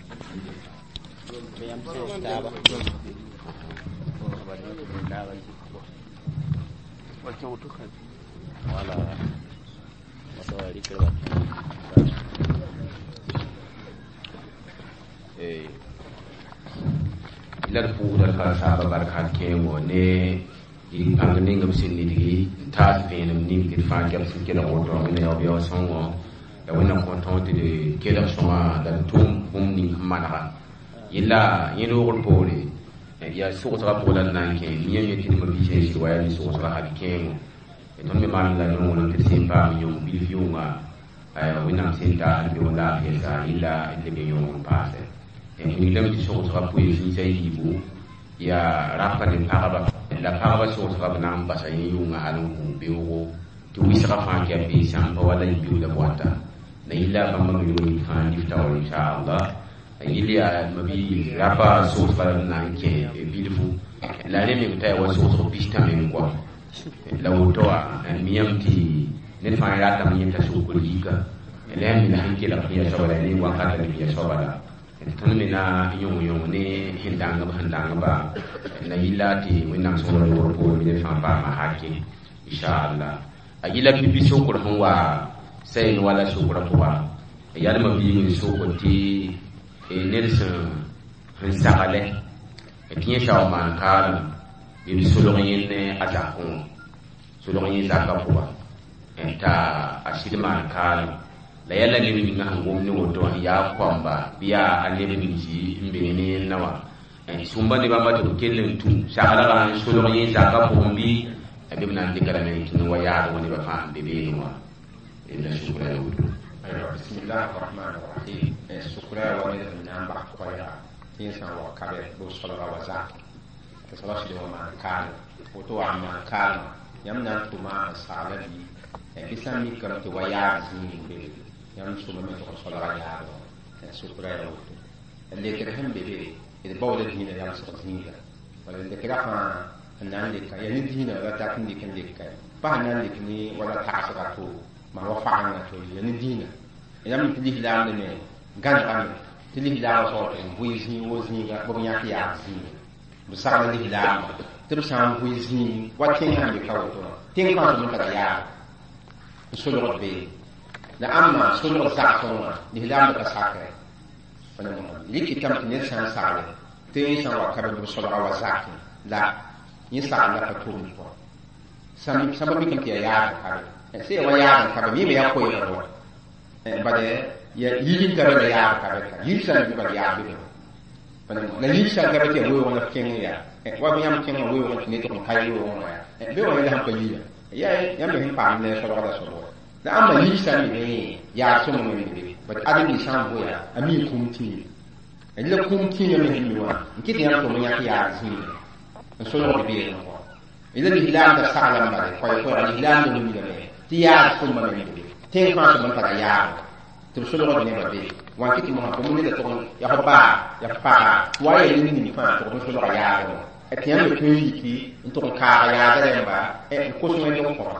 La d pʋʋsda d karen-saambã bark hal kẽengo ne yik pãng ning b sẽn nidgi n taas vẽenem ning tɩ d fãa kɛl sẽn kelg woto Wẽnna yaoog sõngo la Wẽnnaam kõ tõog tɩ d kelg sõma la d tʋm bũmb ning sẽn manega yella yẽ noogr poore yaa sogsga pʋgã la d na n kẽ yãmb yẽ tɩ d ma-biisã n sɩd wa yaa ne sogsga hal kẽengo tõnd me maan la nonglem tɩ d sẽn paam yõng bilf yʋnga Wẽnnaam sẽn taas d beoog laafɩ sa yella d leb n yõog n paase wilgdame tɩ sogsga poe zĩis a yiibu yaa rapa ne pagba la pagba sogsga b na n basa yẽ yʋnga hal n kũ beoogo tɩ wɩsga fãa kɛ bee sãmpa wala yibiooda bɔata la yilla bãmba me yʋng fãa lif taoor inchallah yɩl yaa mabi rapa sogsga la d na n kẽ bilfu la rẽ meng t'a yaa wa sogsg pistã meng kɔa la woto wã miyame tɩ ned fãa ratame yẽta sokr yika la yãmb mina sẽn kelg sẽn ya soaba la ne wakata ne ya soaba la tõnd me na yõng yõng ne sẽn dãngb sẽn dãngba la yilla tɩ Wẽnnaam sõngr loogr poore bɩ ned fãa paama hake inchallah a yilla pipi sokr sẽn wa sayen wala sokra pʋga yalma biig n sokr tɩ ned sẽn saglɛ tɩ yẽ sã wa maan kaalem bɩ b solg yẽnd a zakẽ wã solg yẽ zakã pʋga t'a a sɩd maan kaalem la yãla neb ninga sẽn gom ne woto wã yaa koamba bɩ yaa a neb ninsi n be ne yẽnna wã sũmba ne bãmba tɩ b kell n tũ saglgã n solg yẽ zakã pʋgẽ bɩ bɩ b na n dɩka rame n kẽng wa yaadg nebã fãa sẽn be beene wã la sukra ya woto. Aywa, bismillah rahman rahim. Sukra wa ned sẽn na n bas koɛɛga tɩ yẽ sã n wa kabe bɩ b solga wa zak tɩ soaba sɩd wa maan kaalem woto wa n maan kaalema yãmb na n tʋma n sagla bɩ bɩ sã n mikame tɩ wa yaab zĩig n be yãmb sʋmame tɩ b solga yaab sukra ya woto lekr sẽn be be d baooda dĩinã yamsg zĩiga wala lekra fãa n na n leka yaa ne dĩinã la tat n dɩk n leka pa sẽn na n lek ne wala tagsga to maa wa fagengã to yaa ne dĩinã yãmb tɩ lislaamd me gãnegame tɩ lislaamã soab tɩ n bʋɩ zĩig wo zĩiga bɩ b yãk yaab zĩiga b sagl lislaamã tɩ b sã n bʋɩ zĩig wa tẽng sãn be ka woto wã tẽng fãa tɩ b tara yaab n solgd beene la ãmba solg zagsẽ wã lislaamd ka sakɛ rɩkɩtame tɩ ned sã n sagle tɩ yẽ sã n wa ka bɩ b solga wa zakẽ la yẽ sagl la pa tʋmd pʋgã sãmba mikame tɩ yaa yaab n kabe sẽn ya wa yaab n kabe mime yaa koeegr wa bad ya yil n ka be la yaab ka be ka yil sã n bɩ bad yaab be la yil sã n ka be tɩ yaa weoog la f kẽng yaa wa bɩ yãmb kẽngã weoog tɩ ned tʋg n ka weoog wã yaa be wã yẽla sẽn pa yila yaa yãmb me sẽn paam ne solgda soab wa la ãmba yil sã n be yaab sõma me be bad ãdem-bi sã n voya a mi kũum tĩime la kũum tĩimã me sẽn mi wã n kɩt yãmb tʋm n yãk yaab zĩiga n solgd beelẽ kɔ la lislaamda sagla n bale koɛɛ-koɛɛga lislaamda wilgame tɩ yaab sõma me be tẽng fãa tɩ b n tara yaab tɩ b solgd nebã be wã kɩ tɩ mosã bũmb neda tʋg yaa f baa yaa f paga wa yaa ned ning fãa tʋg n solga yaabẽ wã tɩ yãmb me tõe n yiki n tʋg n kaaga yaada rẽmba n kos wẽnd n kõba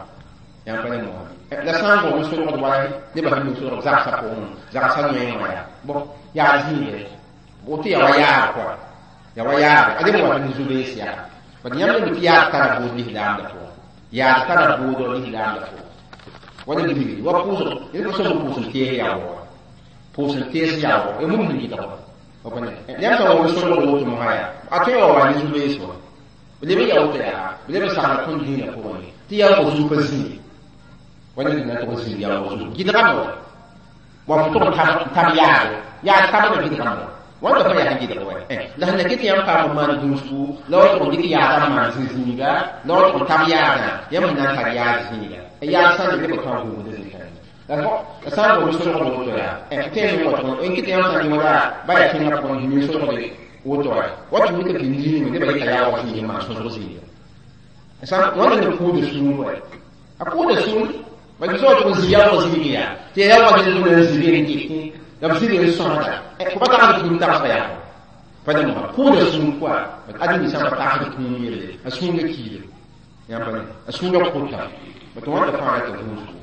yãmb pa ne mosã la sã n gom n solgd wala nebã sẽn mi solg zagsã pʋgẽ zagsã noeẽ wã yaa bõ yaa zĩige woto yaa wa yaab kɔa yaa wa yaab adem wa ne zu-bees yaa bad yãmb me tɩ yaad tara bʋʋd lislaamda pʋgẽ yaad tara bʋʋdɔ lislaamda pʋgẽ wala bilgi wa pʋʋsg ned pa sõm pʋʋs n tees yaoog pʋʋs n tees yaoog ya mum sẽn gɩdg wa yãmb sã wa solgd woto mosã yaa a tõe wa wa ne zu-bees wa b leb n yaa woto yaa b leb n sagla tõnd dĩinã pʋgẽ tɩ yaoog zu pa zĩig wala ned na tʋg n zĩig yaoog zu gɩdgame wa wa fo tʋg n tab yaado yaad tabga gɩdgame wa wãnda fã yaa sẽn gɩdg wa la sẽn na ket yãmb paam n maan gũusgu la wa tʋg n dɩk yaadã n maan zĩ-zĩiga la wa tʋg n tab yaadã yãmb sẽn na n tar yaad zĩiga yaad sã n le nebã fãa gũusda zĩigã la sã n gom solgd woto yaa tẽe me wa tʋg n kɩt yãmb sã n dɩ wala ba yaa tẽngã pʋgẽ sẽn mi solgde woto wa wa tɩ mikame tɩ zĩigẽ nebã yeta yaoog zĩig n maan sõsg zĩiga wãnda ne kʋʋda sũur wa a kʋʋda sũur bad b tʋg n zĩ yaoog zĩig yaa tɩ yaa yaoogã zĩig n zĩ n kɩt la b zĩg n sõsda fo pa tagsd kũum tagsga yaa pa ne mosã kʋʋda sũur koa bad ãdem sã n pa tagsd kũum yelle a sũurã kiile yãmb pa ne a sũurã kʋta bat wãnda fãa rata gũusgu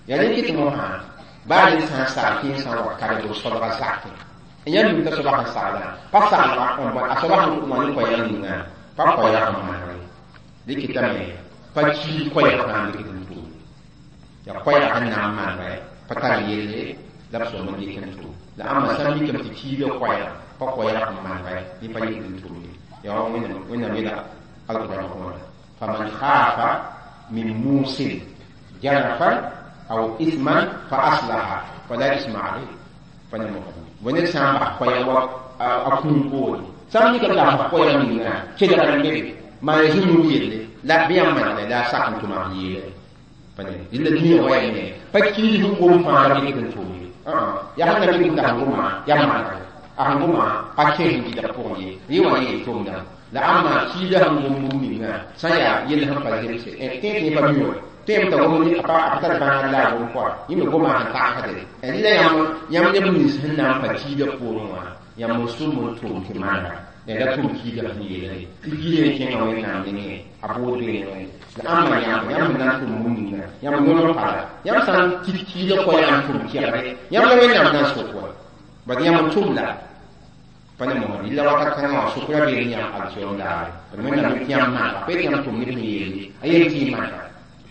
yaa rẽ kɩt mosã baa ned sã n sagl tɩ yẽ sã n wa kabe b solga zakẽ Yãmb mi t'a soaba sẽn saglã pa saglga a soaba sẽn wã ne koɛɛg ninga pa koɛɛg n maneg ye dɩkɩtame pa kiid koɛɛg fãa n dɩk n tʋʋm yaa koɛɛg sẽn na n manegɛ pa tar yelle la b sõm n dɩk n tʋm la ãmba sã n mikame tɩ kiida koɛɛga pa koɛɛg sẽn manegɛ yẽ pa yik n tʋm ye yaa Wẽnnaam yeela alqur'an pʋgẽ faman khafa min musin janafan aw ithman fa aslaha fala isma alayh pa ne mosã bõe ned sã n bas koɛɛg wa a kũum poore sã n mikame t'a bas koɛɛg ninga kelgr n be be maan zũnug yelle la bɩ yãmb manegre la a sak n tʋma b yeele pa ne dɩlla dũniyã wa yaa me pa kiis n gom fãa la b dɩk n tʋm ye yaa sẽn na mik t'a sẽn goma yaa manegre a sẽn goma pa kẽes n gɩdg pʋgẽ ye rẽ wã yee tʋmdã la ãmba kiida sẽn gom bũmb ninga sã n yaa yell sẽn pa zemse tẽeg tɩ yẽ pa mi wã tõe t'a gom a pa tar bãag la a gom pʋga yẽ me goma sẽn tagsde rɩla yãmb neb nins sẽn na n pa kiida poorẽ wã yãmb n sʋm n tʋm tɩ manega la tʋm kiida sẽn yeela ye tɩ kiida yẽ kẽnga Wẽnnaam nengẽ a bood beene la ãmba yãmb yãmb sẽn na n tʋm bũmb ninga yãmb noneg pala yãmb sã n kit kiida koɛɛg n tʋm kɛgre yãmb la Wẽnnaam na n sok wa bad yãmb n tʋm la pa ne mosã yella wakat kãngã wã sʋkra beene yãmb alkiom daare b Wẽnnaam tɩ yãmb manega pa yetɩ yãmb tʋm neb sẽn yeele a yel tɩ y manega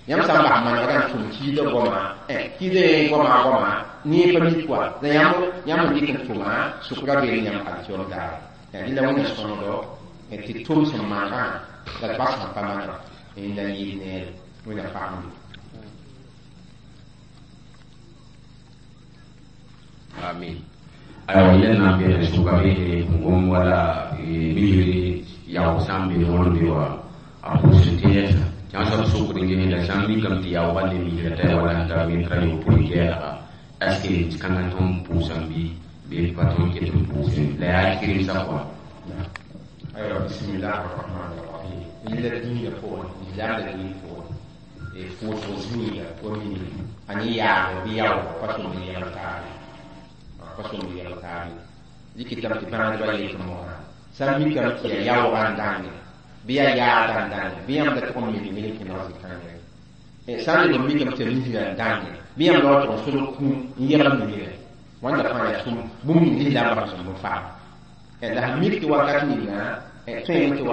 yãmb sã n bas manegdã n tʋm kiida goama kiida yẽ goama goama ne pa mik wa la yãmb n dɩk n tʋma sʋkra beene yãmb alkiom daare rɩla Wẽnna sõngdo tɩ tʋm sẽn manegã la d bas sẽn pa manega la yɩɩd neere Wẽnna pagembe. Amin. Aywa yɛl na n beene sʋka beene n gom wala misri yaoog sã n be wãn be wa a pʋʋs n tẽedsa tɩ soab sokd n ges la sã n mikame tɩ yaoogã le misra t'a yaa wala sẽn tar metra yopoe kɛɛlga est ce que kãngã tõnd pʋʋsame bɩ pa tõnd ket n pʋʋsẽ la yaa kɩremsã kɔa. Aywa bismillah arrahman arrahim yella dĩinã pʋgẽ lislaam la dĩin pʋgẽ pʋʋsg zĩiga wa misri a ne yaagr bɩ yaoog pa sõmd n yɛgl taabe pa sõmd yɛgl taabe dɩkɩtame tɩ bãadbã yet mosã sã n mikame tɩ yaa yaoogã n dãnge bɩ yaa yaadã n dãnge bɩ yãmb da tʋg n mik ned n kẽneg zĩ-kãngã sã n leb n mikame tɩ yaa misrã n dãnge bɩ yãmb la wa tʋg n solg kũum n yɛgl misrã wãnda fãa yaa sũm bũmb ning lislaambã sẽn bõn faam la sẽn mik tɩ wakat ninga tõeme tɩ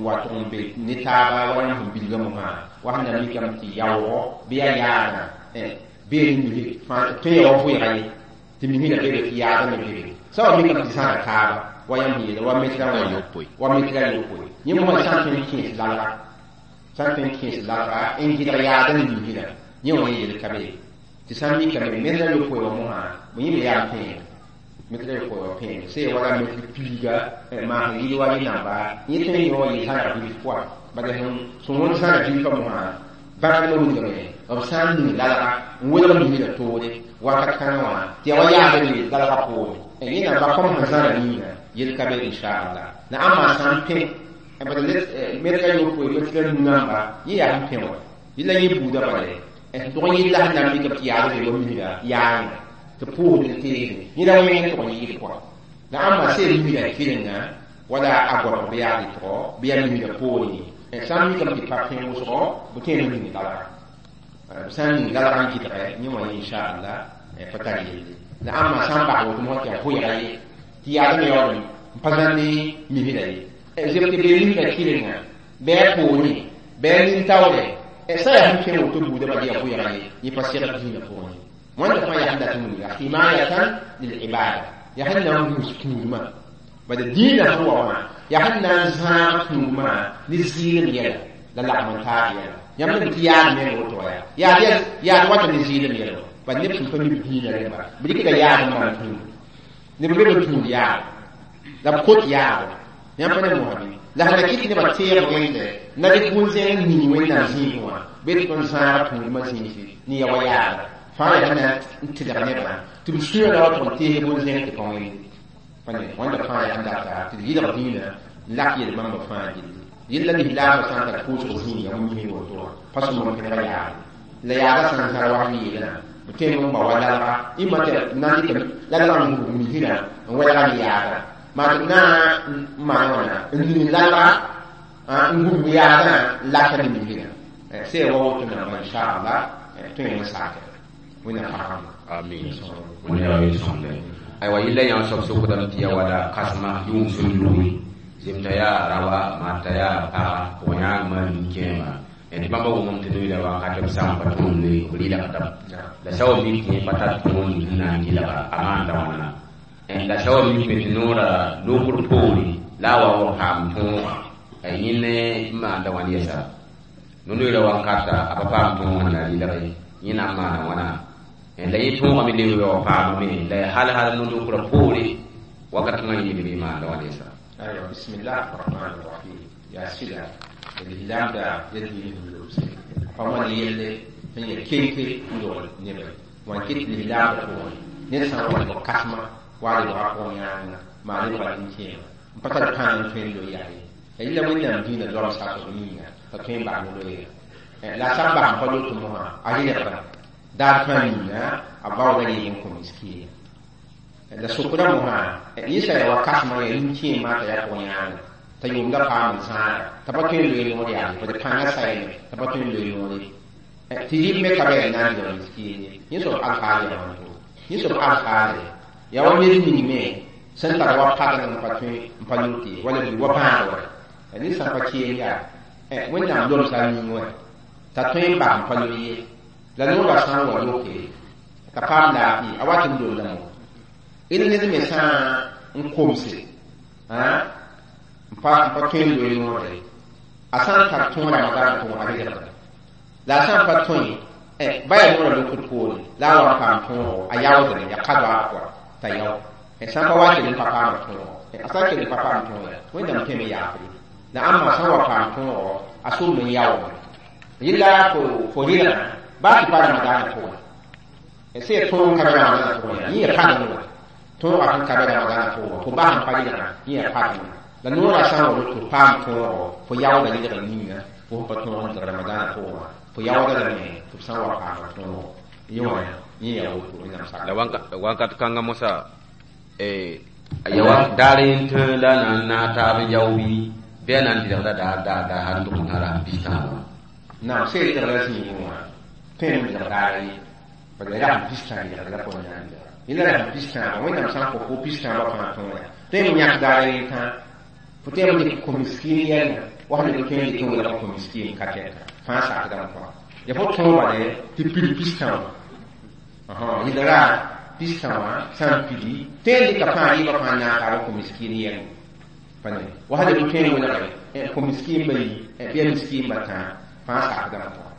wa tʋg n be ne taaba wa yãmb sẽn bilga mosã wa sẽn na mikame tɩ yaoogo bɩ yaa yaadã bee ne misri tõe ya wa vʋɩga ye tɩ misrã bebe tɩ yaadã me bebe sã wa mikame tɩ zãga taaba wa yãmb sẽn yeela wa metra wãna wa metra yopoe yẽ mosã sã n tõe n kẽes lalga sã n tõe n kẽes lalga n gɩdg yaadã ne misrã yẽ wã yẽ yel ka be tɩ sã n mikame metra yopoe wã mosã bõ yẽ me yaa n pẽeg metra yopoe wa pẽeg sẽn wala metr piiga maas n yɩl wa yẽ namba yẽ tõe n yõ wa yɩl zãga bilf pʋga bala sẽn wõnd zãga bilfã mosã bãadbã wilgame b sã n ning lalga n welg misrã toore wakat kãngã wã tɩ yaa wa yaada be lalga poore yẽ namba kom sẽn zãra ninga yel ka be inchallah la ãmba sã n pẽ bala metra yopoe metra nu namba yẽ yaa sẽn pẽ wã yella yẽ buudã bala tʋg n yɩl la sẽn na n mikame tɩ yaada be wa misrã yaanga tɩ pʋʋsd n teesde yẽ ra wẽng tʋg n yɩɩd pʋga la ãmba seel misrã kɩrenga wala a goabg bɩ yaa dɩtgɔ bɩ yaa misrã poore sã n mikame tɩ pa pẽ wʋsgɔ bɩ tõe n ning lalga b sã n ning lalga n gɩdgɛ yẽ wã inchallah pa tar yelle la ãmba sã n bas woto mosã tɩ yaa vʋɩga ye tɩ yaadame yaool n pa zãn ne misrã ye zeb tɩ bee misrã kɩrenga bɩ a poorẽ bɩ a nin-taoore sã yaa sẽn kẽ woto buudã bala yaa vʋɩga ye yẽ pa segd dĩinã pʋgẽ ye wãnda fãa yaa sẽn dat n wilga himayatan lilibada yaa sẽn na n gũus tũudmã bala dĩinã sẽn wa wã yaa sẽn na n zãag tũudmã ne zɩɩlem yɛla la lagm n taab yɛla yãmb neb tɩ yaad meng woto wa yaa yaad wata ne zɩɩlem yɛla bala neb sẽn pa mib dĩinã rẽmba b dɩkda yaad n maan tũud neb be b tũud yaad la b kot yaad yãmb pa ne mosã bɩ la sẽn na kɩt nebã teeg wẽnde na dɩk bũn-zẽng ning Wẽnnaam zĩigẽ wã bɩ tɩ tõnd zãag tũudmã zĩisi ne ya wa yaada fãa yaa sẽn na n tɩlg nebã tɩ b sũyã la wa tʋg n tees bũn-zẽng tɩ pa wẽnde pa ne wãnda fãa yaa sẽn data tɩ d yɩlg dĩinã n lak yel-bãmbã fãa gilli yella lislaambã sã n tar pʋʋsg zĩiga wĩmsẽ woto wã pa sõm n pẽneg yaad la yaada sã n zãr wa sẽn yeelã b tõe n ba wa lalga ĩmma tɩ na n dɩk lalgã n gũus misrã n wɛlga ne yaadã maa tɩ b na n maan wãna n ning lalga n gũus yaadã n laka ne misrã sẽn wa woto namba inchallah tõe n sakɛ Wẽnnaam pagame. Amin. Wẽnna yaa sõmde. Aywa yilla yã soab sokdame tɩ ya wala kãsema yʋng sẽn lugi zemta yaa rawa maata yaa paga pʋgã yãagmã nin-kẽema tɩ bãmba wʋmame tɩ noyla wakat b sã n pa tõnd b rɩlgdame la sã wa mik tɩ yẽ pa tar tõog ning sẽn na n gɩlga a maanda wãna la sã wa mikme tɩ noora lokr poore la a wa wa paam tõoga a yẽnd n maanda wãn yɛsa no-noeera wankata a pa paam tõog sẽn na rɩlge yẽ na n maana wãna la yẽ tõogame leb wa paamame la hal hal no-lokrã poore wakat kãngã yĩng b maanda wãn yɛsa. Aywa, bismillah rahman rahim. Yaa sɩda lislaamda ya dĩin sẽn lobse pa wãn yelle sẽn ya kenke n dogl nebã wãn kɩt lislaamda pʋgẽ ned sã n wa lebg kãsema waa lebga pʋgẽ yãanga maa lebga nin-kẽema n pa tar pãng n tõe n loe yaa ye la yɩla Wẽnnaam dĩinã zoabs sakb yĩnga t'a tõe n bas ne loeera la a sã n bas n pa lot mosã a rɩlgda daar fãa yĩnga a baooda yɩɩg n kõ miskiina la sokda mosã yẽ sã ya wa kãsema ya nin-kẽemã t'a yaa pʋgẽ yãanga t'a yʋʋmda paam n zãada t'a pa tõe n loe noor yaa ye bad pãngã sayame t'a pa tõe n loe noor ye tɩ rɩb me ka bɩ a na n lebg miskiin ye yẽ soab alhaal yaa wãn to yẽ soab alhaale yaa wa ned ning me sẽn tar wa padeng n pa tõe n pa lot ye wala bɩ wa bãad wa ned sã n pa keem yaa Wẽnnaam lomsa a ning wã t'a tõe n bas n pa loe ye la noorã sã n wa loke t'a paam laafɩ a wat n lomdame d ned me sã n komse n pa tõe n loe noore a sã n tar tõog Ramadaanã pʋgẽ a rɩlgda la a sã n pa tõe ba yaa noorã lokd poore la a wa n paam tõogo a yaoodame ya ka-doaag pʋga t'a yao sã n pa wa kell n pa paama tõogo a sã n kell n pa paam tõog ya Wẽnnaam tõeme yaafre la ãmba sã n wa paam tõogo a sʋm n yaoome yella fo rɩlgã baa tɩ pa Ramadaanã pʋgẽ sẽn ya tõog n ka be Ramadaanã pʋgẽ yaa yẽ ya padeng wã tõogã sẽn ka be Ramadaanã pʋgẽ fo bas n pa rɩlgã yẽ ya padeng la noorã sã n wa loto paam tõogo fo yaooda rɩlgã ninga fo sẽn pa tõog n dɩg Ramadaanã pʋgẽ wã fo yaooda lame tɩ b sã n wa paama tõogo yẽ wã yẽ yaa woto Wẽnnaam sak. La wakat kãngã mosã ya wa daar n tẽ la na n naas taab n yao bɩ bɩ a na n dɩlgda daar daar daar hal n tʋg n tara pistã wã. Naam, sẽn dɩgla zĩigẽ wã tõe n dɩg daar ye bad ya rasem pistã dɩgd la pʋgẽ na n dɩga yẽla rasem pistã Wẽnnaam sã n kõ fo pistã wa fãa tõoga tõe n yãk daar ye tã fo tõe n dɩk kõ-miskiin yɛlngã wa sẽn dɩk tõe n dɩk n welg kõ-miskiin ka tɛka fãa sakdame pʋga ya fo tõog bale tɩ pid pistã wã yɩlra pistã wã sã n pidi tõe n dɩka fãa yɩɩbã fãa naas taab kõ-miskiin yɛlngã pa ne wa sẽn dɩk tõe n welge kõ-miskiin bayi bɩ a miskiin batã fãa sakdame pʋga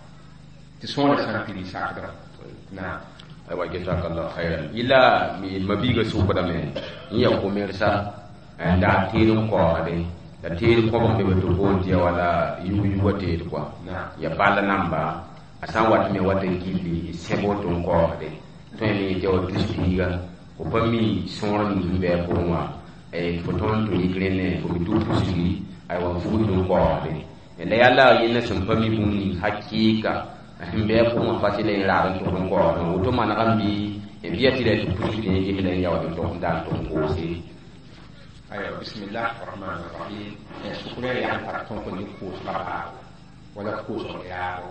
tɩ sõorã sã n pidi sakdame naam. Aywa, jazakallah khairan. Yɩla mabiiga sʋkdame n ya komersa n dag teed n kaoogde la teed kõbg be tɩ boond tɩ ya wala yug-yugã teed kɔa ya ball namba a sã n wat me wat n gilli sẽb woto n kaoogde tõe me tɩ ya wa tus piiga fo pa mi sõor ning sẽn bɩ a pʋgẽ wã fo tõnd tɩ yik rẽne fo me tɩ pusgi aywa n fugd n kaoogde la yaa la yẽnda sẽn pa mi bũmb ning hakɩɩka sẽn bɩ a pʋgẽ wã fasɩ la yẽ raag n tʋgd n kaoogdẽ woto maneg n bɩ bɩ ya tɩ la tɩ pusg tɩ yẽ ges la n yaood n tʋg n dag n tʋg n koose. Aywa, bismillah rahman rahim. Sʋkrã yaa n tar tõog ne koosgã baabo wala koosg ne raabo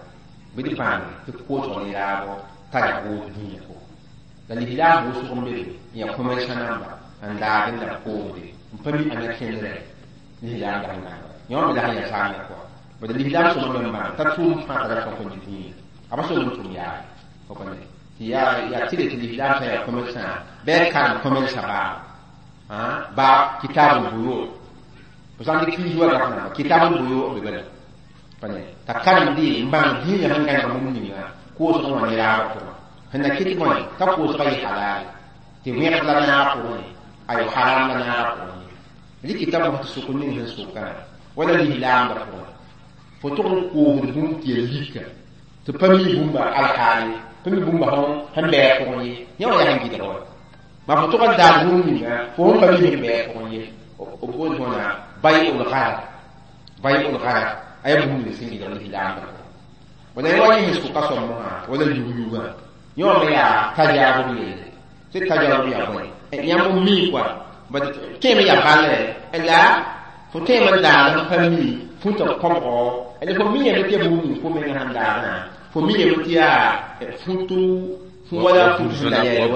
bɩ d bãng tɩ koosg ne raabo tara woog dĩinã pʋgẽ la lislaam wʋsg n be be n yaa commerçant namba n daad n la b koosde n pa mi ãnna kẽndrɛ lislaam la sẽn gãnega yõ me la sẽn yaa saamẽ pʋga bad lislaam sõma me n bãng t'a tʋʋm fãa tara tõk n dĩinã a pa sog n tʋm yaa fo pa ne tɩ yaa tɩ tɩ lislaam sã yaa commerçant bɩ a karem commerçant baabo ba kitabul buyu fo sã n dɩk kiis wa gaf namba kitabul buyu be bala pa ne t'a karemde n bãng dĩinã sẽn gãneg bũmb ninga koosg wã ne raabã pʋgẽ sẽn na kɩt bõe t'a koosgã yɩ halal tɩ wẽgd la naag pʋgẽ ayo haram la naagã pʋgẽ rɩk t'a mos tɩ sʋk ning sẽn sʋkã wala lislaamdã pʋgẽ fo tʋg n koosd bũmb tɩ ya lika tɩ pa mi bũmba alhaale pa mi bũmba sẽn bɩ a pʋgẽ ye yẽ wã yaa sẽn gɩdg wa ma fo tʋg n daad bũmb ninga fo sẽn pa mi sẽn bɩ a pʋgẽ ye b boond wãna bay'ul gharar bay'ul gharar a yaa bũmb ning sẽn gɩdg lislaamdã pʋgẽ wala yẽ wa yẽ sẽn sʋka sõm mosã wala yug-yugã yẽ wã me yaa tajaarub yelle tɩ tajaarub yaa bõe yãmb n mii kɔa bad tõeme yaa ballre la fo tõeme n daad n pa mi fũta kõbgo la fo mi yame tɩ ya bũmb ning fo mengã sẽn daadã fo mi yame tɩ yaa futu Wala fut sẽn da yɛɛlɛ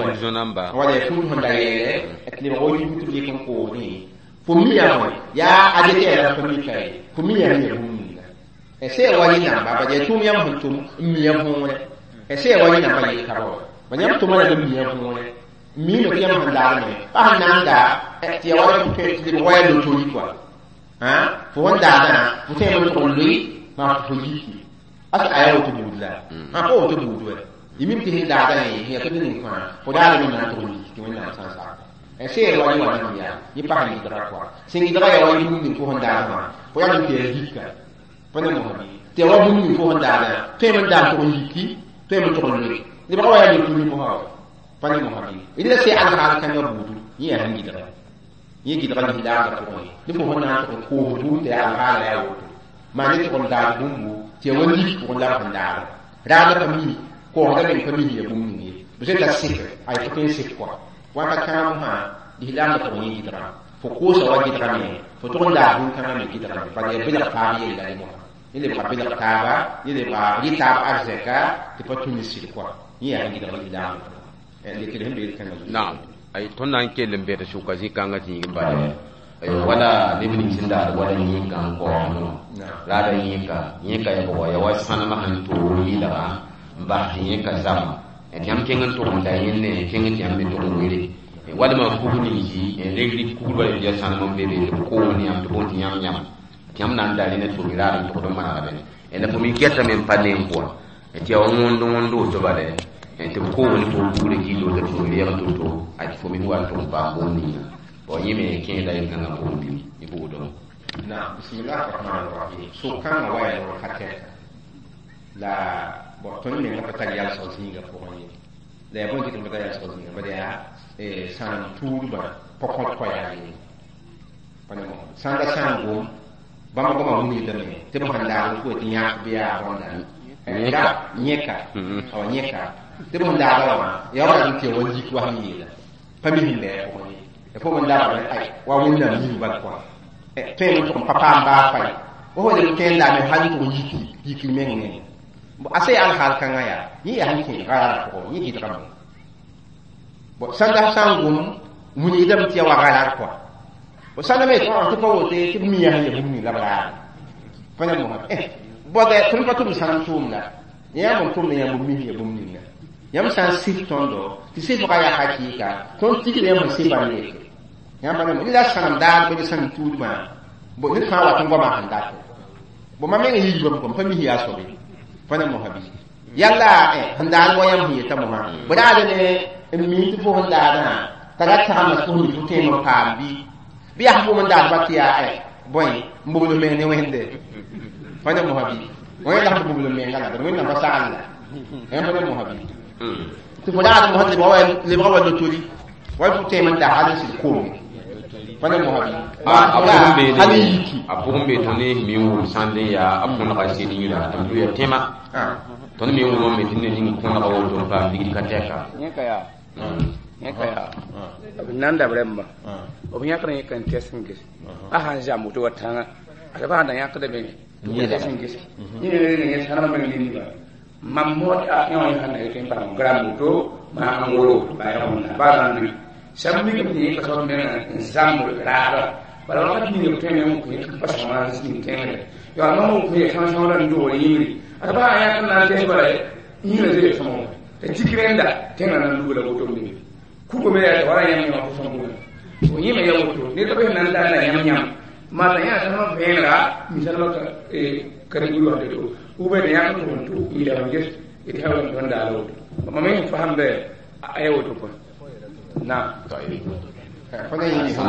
wala fut sẽn da yɛɛlɛ tɩ lebg wa yik tɩ b lek n koosdẽ fo mi yaa bõe yaa a dɩk yaa la fo mika ye fo mi yaa ya bũmb ninga sẽn wa yẽ namba ba yaa tʋʋm yãmb sẽn tʋm n mi ya võore sẽn wa yẽ namba yel ka ba ba yãmb tʋma la n mi ya võore n miime tɩ yãmb sẽn daagme pa sẽn na n daa tɩ ya wala tɩ lebg wa yaa lotori kɔa fo sẽn daadã fo tẽeme tʋg n loe maa fo yiki asa a yaa woto buud la pa woto buud wɛ yimim tɩ sẽn daadã ye sẽn yaa tɩ ning fãa fo daadame na n tʋg n yiki tɩ Wẽnnaam sã n sak sẽn wa yẽ wa nan yaa yẽ pa sẽn gɩdga kɔa sẽn gɩdga yaa wa bũmb ning fo sẽn daadã wã fo yaa tɩ yaa yika pa ne mosã tɩ yaa wa bũmb ning fo sẽn daadã tõeme n daam tʋg n yiki tõeme n tʋg n loe lebga wa yaa lotori mosã wa pa ne mosã bɩ la sẽn alhaal kãngã buudu yẽ yaa sẽn gɩdga yẽ gɩdga lislaamdã pʋgẽ ne fo sẽn na n tʋg n koos bũmb tɩ yaa alhaala yaa woto maa ne tʋg n daad bũmbu tɩ yaa wa lik pʋgẽ la b sẽn daada raadã pa mi koosda meng pa mi yaa bũmb ning ye b zoeta sɩk ay fo tõe n sɩk kɔa wãka kãab fãa lislaamdã pʋgẽ yẽ gɩdga fo koosa wa gɩdgame fo tʋg n daad bũn-kãngã me gɩdgame bala yaa belg taab yella ne mosã yẽ lebga belg taaba yẽ lebga rɩ taab arzɛka tɩ pa tũ ne sɩd kɔa yẽ yaa sẽn gɩdg lislaamdã pʋgẽ lekr sẽn beel kãngã zugu naam ay tõnd na n kell n bed sʋka zĩ-kãngã tɩ yĩng bala wala neb ning sẽn daad wala yẽka n kaoomdẽ raada yẽka yẽka ya bʋgɔ ya wa sãnemã sẽn toog yɩlga n bas tɩ yẽka zama tɩ yãmb kẽng n tʋg n da yẽnne kẽng tɩ yãmb me tʋg n were walma kug ninsi reg rɩk kugl bala tɩ yaa sãnem n be be tɩ b koog ne yãmb tɩ bõn tɩ yãmb yãmb tɩ yãmb na n da rẽna tɩ fo mi raad n tʋgd n manegdẽ la fo mi gɛtame n pa neng pʋga tɩ yaa wa wõnd wõnd woto bala tɩ b koog ne fo kugrã gillo tɩ fo mi reeg to-to a tɩ fo mi wa n tʋg n paam bõn ninga bon yẽ me kẽeda yel-kãngã pʋgẽ bɩ y buudẽ naam bismillah rahman rahim so-kãngã wa yaa ror ka tɛka la bon tõnd menga pa tar yalsg zĩigã pʋgẽ ye la yaa bõe tɩ tõnd pa tar yalsg zĩigã bala yaa sãnem tuudbã pa kõt koɛɛg ye pa ne mosã sãn da sã n gom bãmba goamã wilgdame tɩ b sẽn daag n tɩ yãk bɩ yaa bõnda yẽka awa yẽka tɩ b sẽn daada wã yaa wa rat n tɩ ya wa lik wa sẽn yeela pa mi sẽn bɩ a pʋgẽ ye fo n daabame ay wa Wẽnnaam yĩng bal kɔa tõeme n tʋg n pa paam baa fay wa fo leb tõe n daame hal n tʋg n yiki yikr meng ne a sã yaa alhaal kãngã yaa yẽ yaa sẽn kẽ garar pʋgẽ yẽ gɩdgame bon sãn da sã n gom wilgdame tɩ yaa wa garar kɔa bon sãn da me tɩ pa wote tɩ b mi yaa sẽn ya bũmb ning la b raare pa ne mosã bɔdɛ tõnd pa tʋm sãnem tʋʋmda yãmb n tʋmda yãmb mi ya bũmb ninga yãmb sã n sɩf tõndo tɩ sɩfga yaa hakɩɩka tõnd tigr yãmb sẽn sɩfa n leke yãmb pa ne la sãnem daad bɩ sãnem tuudmã bo ned fãa wat n goamã sẽn datẽ bo mam meng yiibame kɔm pa mis yaa sobe pa ne mosã bɩ yalla sẽn daad wa yãmb sẽn yeta mosã bɩ raad ne n mi tɩ fo sẽn daadã t'a ra tagsma tɩ fo mi fo tõem n paam bɩ bɩ yaa fo n daad ba tɩ yaa bõe n bobl meng ne Wẽnde pa ne mosã bɩ wẽnd la sẽn bobl menga la Wẽnnaam pa sagl la yãmb pa ne mosã bɩ tɩ fo daad mosã lebga wa lotori wa fo tõem n da hal n sɩd koome pa ne mosã bɩ hal n yiki a pʋgẽ be tõnd mi n wʋm sãnd n yaa a põnega sɩd yĩra tɩ b lʋya tẽma tõnd me n wʋmame tɩ ned ning põnega woto n paam ligd ka tɛka yẽka yaa yẽka yaa b nan da b rẽmba b yãkd yẽka n tɛs n ges a sãn zãmb woto wa tãngã ad b sãn da yãkda me tɩ tɛs n ges yẽ sãnema meng ninga mam mood a yõ yẽ sãn na yetɩ n paam gram woto maa n woro ba ya wẽnna ba rãnd sãmb mikame tɩ yẽka soab menga n zãmb raaba bala wakat ninga b tõe me n kõ yẽk pa sõma n tẽngre yaa mam n kõ ya sãn-sõng la n dogr yĩngri ad ba sã yãk n na n tɛs bala yĩngrã zoe sõma t'a tik rẽnda tẽngã na n lugla woto n be kugo me yaa wala yãmb yãmb fo sõm fo yẽme ya woto ned pa sẽn na n daana yãmb yãmb maa t'a yã sãnema vẽenega mi sãnema karen-guru wã to ubɛ t'a yãk n tʋg n tʋ yɩla n ges tɩ sã n tõnd daala woto mam me fasemda a ya woto pʋgẽ naam fo ne yĩng sẽn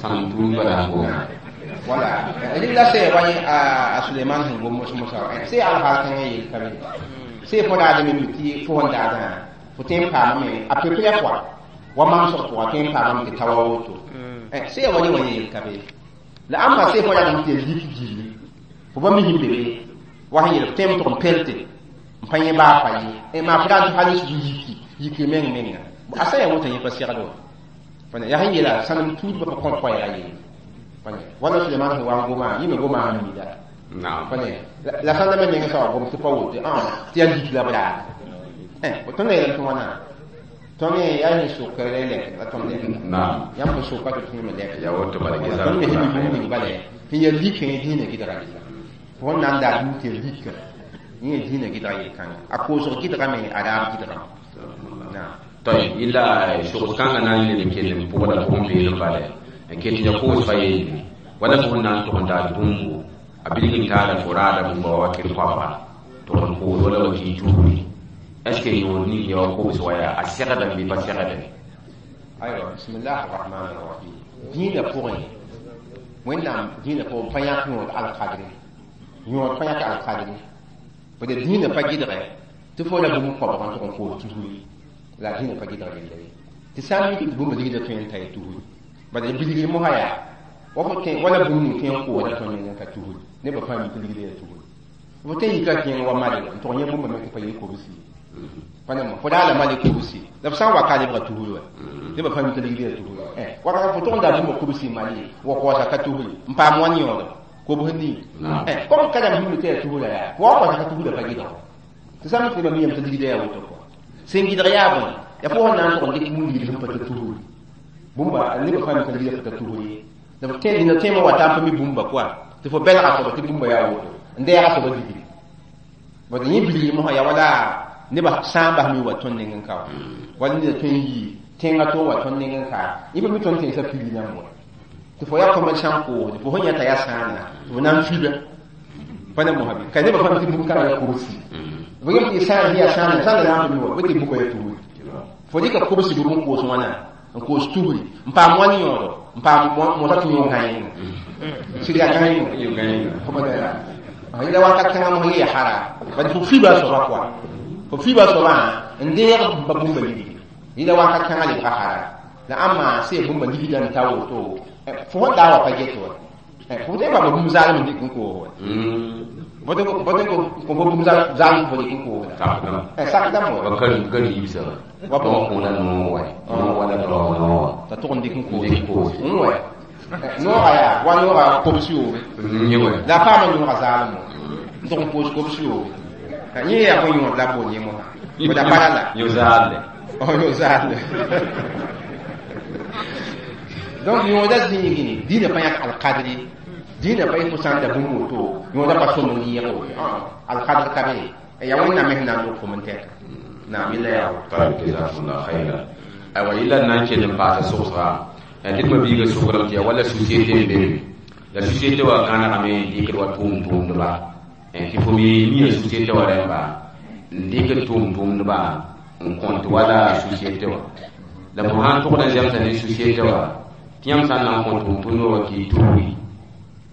sãnem tuud bala n goma wala rɩla sã wa yẽ a Suleiman sẽn gom mos-mosã sã yaa alhaal kãngã yel ka be sã fo daad me mi tɩ fo sẽn daadã fo tõe n paamame a peu près kɔa wa mamsg pʋga tõe n paamame tɩ ta wa woto sã yaa wa yẽ wa yẽ yel ka be la ãmba sã fo yaa tɩ ya lik gilli fo pa mi sẽn be be wa sẽn yel fo tõe n tʋg n pelte n pa yẽ baa pa ye maa fo daan tɩ hal n sug yiki yikr meng menga a sã yaa woto yẽ pa segd wa yaa sẽn yeela sãnem tuudbã pa kõt koɛɛga yelle wala Suleiman sẽn wa n goma yẽ me goma sẽn mida la sãn da me meng sã wa gom tɩ pa woto tɩ yaa lik la b raada Tõnd yeelame tɩ wãna tõnd yaa sẽn sʋkre lɛk la tõnd lɛk yãmb sẽn sʋka tɩ tõnd me lɛk ya woto bala tõnd me sẽn mi bũmb ning bala sẽn yaa likẽ dĩinã gɩdga yella fo sẽn na n daa dũu tɩ ya lika yẽ dĩinã gɩdga yel-kãnga a koosg gɩdgame a raab gɩdgame. Toy illa sogs kãngã na n leb n kell n pʋgda pʋgẽ peelem bala n ket ya koosga yelle wala fo sẽn na n tʋg n daad bũmbu a bilg n taada fo raada bũmba wa wakɩr koabga tʋg n koos wala wa kɩ tuuri. Est ce que yõod ning ya wa kobs wa yaa a segdame bɩ pa segdame? Aywa, bismillah arrahman arrahim. Dĩinã pʋgẽ Wẽnnaam dĩinã pʋgẽ pa yãk yõod alkadre, yõod pa yãk alkadre bd dĩinã pa gɩdgɛ tɩ fo la bũmb koabg n tʋg n koos tusri la dĩinã pa gɩdg yella ye tɩ sã n mik tɩ bũmba ligdã tõe n ta ya tusri bala bilgr mosã yaa wa fo tõe wala bũmb ning tõe n kooda tõnd nengẽ ka tusri nebã fãa mi tɩ ligdã yaa tusri fo tõe n yika kẽeng wa male n tʋg yẽ bũmba me tɩ pa yel kobsi pa nemo fo daa la male kobsi la f sã n wa ka lebga tusri wa nebã fãa mi tɩ ligdã yaa tusri wakat fo tʋg n daa bũmba kobsi male wa koasa ka tusri n paam wãn yõodo kobs nii comme ka dãmb hĩmd tɩ yaa tusra yaa fo wa koasa ka tusra pa gɩdg tɩ sã n mi tɩ nebã mi yame tɩ ligdã yaa woto kɔa sẽn gɩdg yaa bõe ya fo sẽn na n tʋg n dɩk bũmb ligd sẽn pa tɩ tusri bũmba nebã fãa mi tɩ ligdã pa tɩ tusri ye la f tẽ dĩnã tẽemã wa t'a n pa mi bũmba kɔa tɩ fo bɛlga soaba tɩ bũmba yaa woto n dɛɛga soaba ligri bad yẽ bilgr mosã yaa wala nebã sã n bas mi wa tõnd neng n ka wa wala neda tõe n yii tẽngã tɩ wa tõnd neng n ka yẽ pa mi tõnd tẽnsã pili yãmb wa tɩ fo yaa commerçant koosde fo sẽn yãta yaa sãana tɩ fo na n fiba pa ne mosã bɩ ka nebã fãa mi tɩ bũmb kãngã yaa kobsi fo yem tɩ sãan sẽn yaa sãana sãanda na n pa mi wa bɩ tɩ bũmba yaa tusri fo dɩka kobsg n koos wãna n koos tusri n paam wãn yõodo n paam mosa tɩ yõ gãenga sɩd yaa gãenga fo pa yela wakat kãngã mos yẽ ya hara bad fo fiba soaba kɔa fo fiba soabã n deeg pa bũmba ligdi yela wakat kãngã lebga hara la ãmma sẽn ya bũmba ligdã n ta woto fo sẽn daa wa pa get wa fo tõe n paama bũmb zaalem n dɩk n koos wa fo tõe n kõ fo bũmb zaalem fo dɩk n koosda sakdame wa ka liibsa wa kõoda noog wa noog wala daoog noog wa t'a tʋg n dɩk n koos n wa nooga yaa wa nooga kobs yoobe la a paama nooga zaalem wa n tʋg n koos kobs yoobe yẽ yaa bõe yõod la bool yẽ mosã fo da pa la yõ zaalde yõ zaalde. Donc yõoda zĩigẽ dĩinã pa yãk alkadre dĩinã pa yẽ fo sã n da bũmb woto yõoda pa sõm n yẽg woto alkadr ka be yaa Wẽnnaam me sẽn na n lʋg fo n tɛka naam yella yaa woto. Jazakumullah khairan. Aywa yella n na n kell n paasa sogsga tɩ d mabiiga sʋgrame tɩ yaa wala société n be be la société wa kãnegame dɩkd wa tʋʋm-tʋʋmdba tɩ fo me mia société wa rẽmba n dɩkd tʋʋm-tʋʋmdba n kõnt wala société wa la fo sãn tʋgd n zemsa ne société wa tɩ yãmb sã n na n kõ tʋʋm-tʋʋmdba wa kɩ tuuri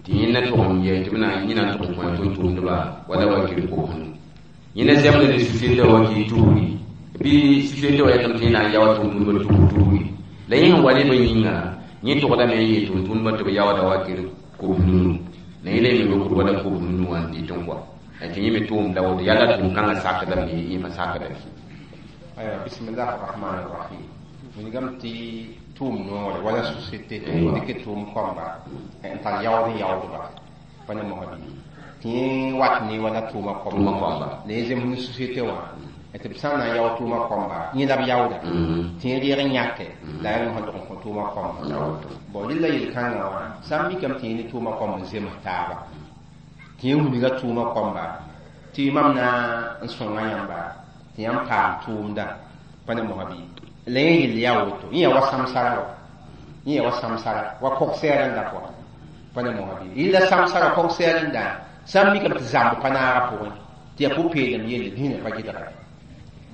tɩ yẽnda tʋg n yɛ tɩ b na yẽ na n tʋg n kõ tʋʋm-tʋʋmdba wala wa kɩr kobsnu yẽnda zemda ne société wa kɩ tuuri bɩ société wa yetame tɩ yẽ na n yaoa tʋʋm-tʋʋmdba tuur tuuri la yẽ sẽn wa nebã yĩnga yẽ tʋgdame n yeel tʋʋm-tʋʋmdbã tɩ b yaooda wa kɩr kobs nunu la yẽ la yẽ me be kur wala kobs nunu wã n dɩt n kɔa tɩ yẽ me tʋʋmda woto yaa la tʋʋm-kãngã sakdame yẽ pa sakdame. Aywa, bismillah arrahman arrahim. Wilgame tɩ tʋʋm noore wala société dɩk tʋʋm kõmba n tar yaood n yaoodba pa ne mosã bɩ tɩ yẽ wat ne wala tʋʋma Tʋʋma kõmba. La yẽ zems ne société wã tɩ b sã n na n yaood tʋʋma kõmba yẽ la b yaooda tɩ yẽ reeg n yãke la yaa mosã tʋg n kõ tʋʋma kõmba bon rɩla yel-kãngã wã sã n mikame tɩ yẽ ne tʋʋma kõmb n zems taaba tɩ yẽ wilga tʋʋma kõmba tɩ mam na n sõnga yãmba tɩ yãmb paam tʋʋmda pa ne mosã bɩ la yẽ yell yaa woto yẽ yaa wa samsara wa yẽ yaa wa samsara wa kog-sɛɛrẽnda pʋga pa ne mosã bɩ yella samsara kog-sɛɛrẽnda sã n mikame tɩ zãmb pa naaga pʋgẽ tɩ yaa pʋ-peelem yelle dĩinã pa gɩdga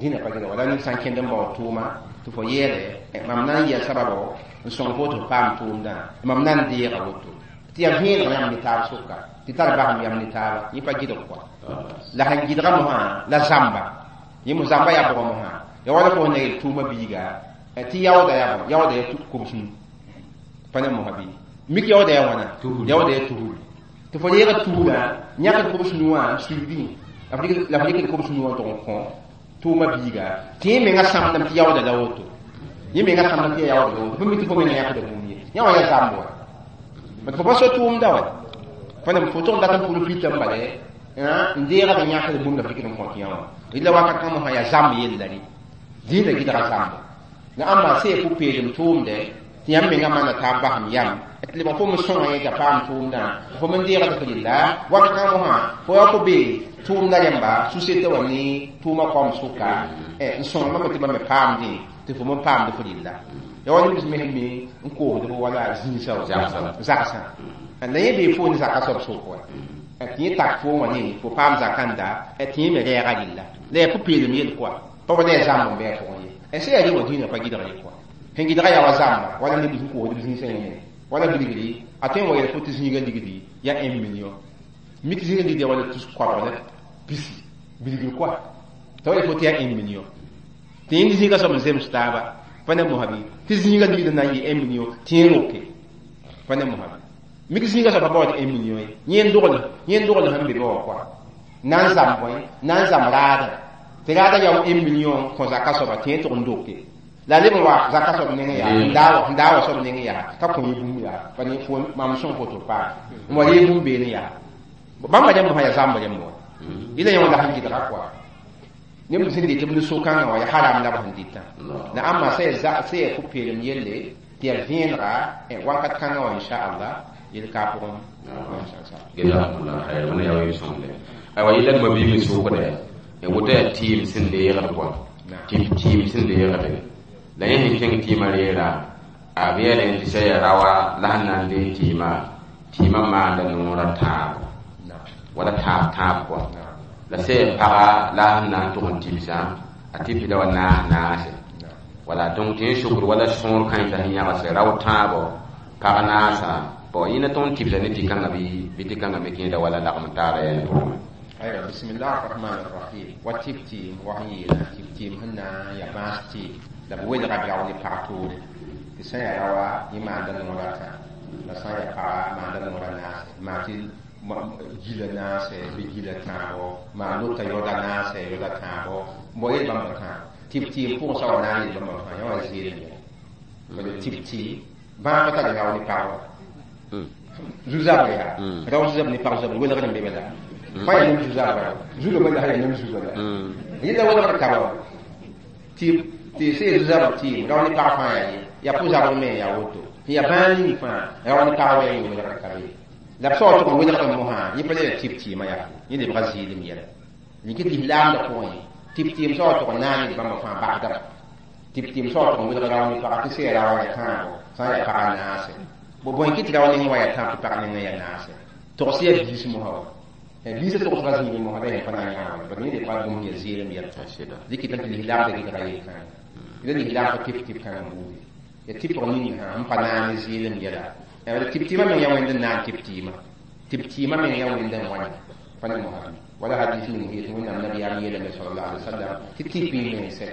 dĩinã pa gɩdga wala ned sã n kẽnd n bao tʋʋma tɩ fo yeele mam na n yɛl sababo n sõng fo tɩ f paam tʋʋmdã mam na n deega woto tɩ yaa vẽeneg yãmb ne taab sʋka tɩ tar basem yam ne taaba yẽ pa gɩdg kɔa la sẽn gɩdga mosã la zãmba yẽ mos zãmba yaa bʋgã mosã ya wala fo sẽn na yel tʋʋma biiga tɩ yaooda yaa bõe yaooda yaa kobsnu pa ne mosã bɩ mik yaooda yaa wãna yaooda yaa tusri tɩ fo reega tusrã yãkd kobs nu wã n suigdẽ la fo dɩkd kobs nu wã tʋg n kõ tʋʋma biiga tɩ yẽ menga sãmdame tɩ yaooda la woto yẽ menga sãmdame tɩ yaa yaooda la woto fo mi tɩ fo menga yãkda bũmb ye yã wã yaa zãmb wa bad fo pa so tʋʋmda wa pa nem fo tʋg n dat n pʋl pitã n bale n deegd n yãkd bũmb la f dɩkd n kõt yã wã. Ila wakat kãng mosã yaa zãmb yella rẽ dĩinã gɩdga zãmbo la ãmba sã yaa pʋ-peelem tʋʋmdɛ tɩ yãmb menga maana taab basem yam tɩ lebg fo me sõnga yẽ t'a paam tʋʋmdã fo me deegd f rɩlla wakat kãng mosã fo ya fo be tʋʋmda rẽmba société wã ne tʋʋma kaoom sʋka n sõng bãmba tɩ bãmb me paamdẽ tɩ fo me paamd f rɩlla ya wa neb mes me n koosd b wala zĩisã zagsã la yẽ bee fo ne zaka soab sʋk wa tɩ yẽ tak fo wã ne fo paam zakãnda tɩ yẽ me rɛɛga rɩlla la yaa pʋ-peelem yel kɔa pa wa la yaa zãmb n bɩ a pʋgẽ ye sã yaa rẽ wã dĩinã pa gɩdg ye kɔa sẽn gɩdga yaa wa zãmba wala neb sẽn koosd b zĩisã yẽ wala bilgri a tõe n wa yel fo tɩ zĩiga ligdi yaa 1 million mik zĩiga ligdi yaa wala tus koabg la pisi bilgr kɔa t'a wa yel fo tɩ yaa 1 million tɩ yẽnd zĩiga soab n zems taaba pa ne mosã bɩ tɩ zĩiga ligd na n yɩ 1 million tɩ yẽ roke pa ne mosã bɩ mik zĩiga soab pa baood 1 million ye yẽnd dogl sẽn be be wã kɔa na n zãmb bõe na n zãmb raadã tɩ raadã yaa 1 million kõ zaka soaba tɩ yẽ tʋg n doke la leb n wa zaka soab nengẽ yaa n daa wa soab nengẽ yaa t'a kõ yẽ bũmb yaa pa ne fo mam sõng foto paam n wa yee bũmb beene yaa bãmba rẽmb sã yaa zãmb rẽmb wã yẽla yẽ wã la sẽn gɩdga kɔa neb sẽn dɩt b ne so-kãngã wã yaa haram la b sẽn dɩtã la ãmba sã yaa pʋ-peelem yelle tɩ yaa vẽenega wakat kãngã wã inchallah yel ka a pʋgẽ jazakumullah khair wẽna yaa wa sõngde aywa yɩla d mabiig n sʋkdɛ woto yaa tɩɩm sẽn deegd kɔa tɩɩm sẽn deegde la yẽ sẽn kẽng tɩɩmã reera a b yeelẽ tɩ sã yaa raoa la sẽn na n dee tɩɩmã tɩɩmã maanda noorã tãabo wala tãab tãab kɔa la sã yaa paga la sẽn na n tʋg n tibsã a tibsda wa naas naase wala donc tɩ yẽ sukr wala sõor kãensã sẽn yãgse rao tãabo pag naasã bon yẽna tõnd tibsa ne tɩ-kãngã bɩ tɩ-kãngã me kẽeda wala lagm taaba yɛl pʋgẽ aywa bismillah arrahman arrahim wa tɩb tɩɩm wa sẽn yeela tɩb tɩɩm sẽn na n yaa bãas tɩɩm la b welga rao ne pag toore tɩ sã yaa raoa yẽ maanda noorã tã la sã n yaa paga maanda noorã naase maa tɩ gila naase bɩ gila tãabo maa lota yaooda naase yaooda tãabo n bao yel bãmba tãa tɩb tɩɩm pʋgẽ sa wa na n yel bãmba fãa yã wa zeelem yɛla tɩb tɩɩm bãag pa tar rao ne pag wa zu-zabr yaa rao zu-zabr ne pag zabr welgd n be bala fãa yaa neb zu-zabra zulgã la yaa neb zuga la yẽla welgd taba wa tɩ sã yaa zu-zabr tɩɩm rao ne pag fãa yaa ye yaa pʋ-zabr me yaa woto tɩ yaa bãag ning fãa rao ne pag wa yaa yẽ welgd ka be la b sao tʋg n welgd mosã yẽ pa le yaa tɩb tɩɩmã yaa yẽ lebga zɩɩlem yɛla rɩk tɩ lislaamdã pʋgẽ tɩb tɩɩm sao tʋg n naag ned bãmba fãa bagdame tɩb tɩɩm sao tʋg n welg rao ne paga tɩ sã yaa raoã yaa tãabo sã n yaa paga naase bo bõe kɩ tɩ rao nengẽ wa yaa tãab tɩ pag nengẽ yaa naase togs yaa biis mosã wa biisã togsga zĩig mosã la yẽ pa na n yãag wa bad yẽ lebga bũmb yaa zɩɩlem yɛla dɩk tɩ lislaamdã gɩdga yel-kãngã la lislaam pa tɩb tɩb kãngã buudi ya tɩpg ning sã n pa naag ne zɩɩlem yɛla tɩb tɩɩmã meng yaa wẽnd n naan tɩb tɩɩmã tɩb tɩɩmã meng yaa wẽnd n wãna pa ne mosã wala hadis ning yet wẽnnaam nabiyaam yeelame sal alaihi wasallam tɩ tɩp y mense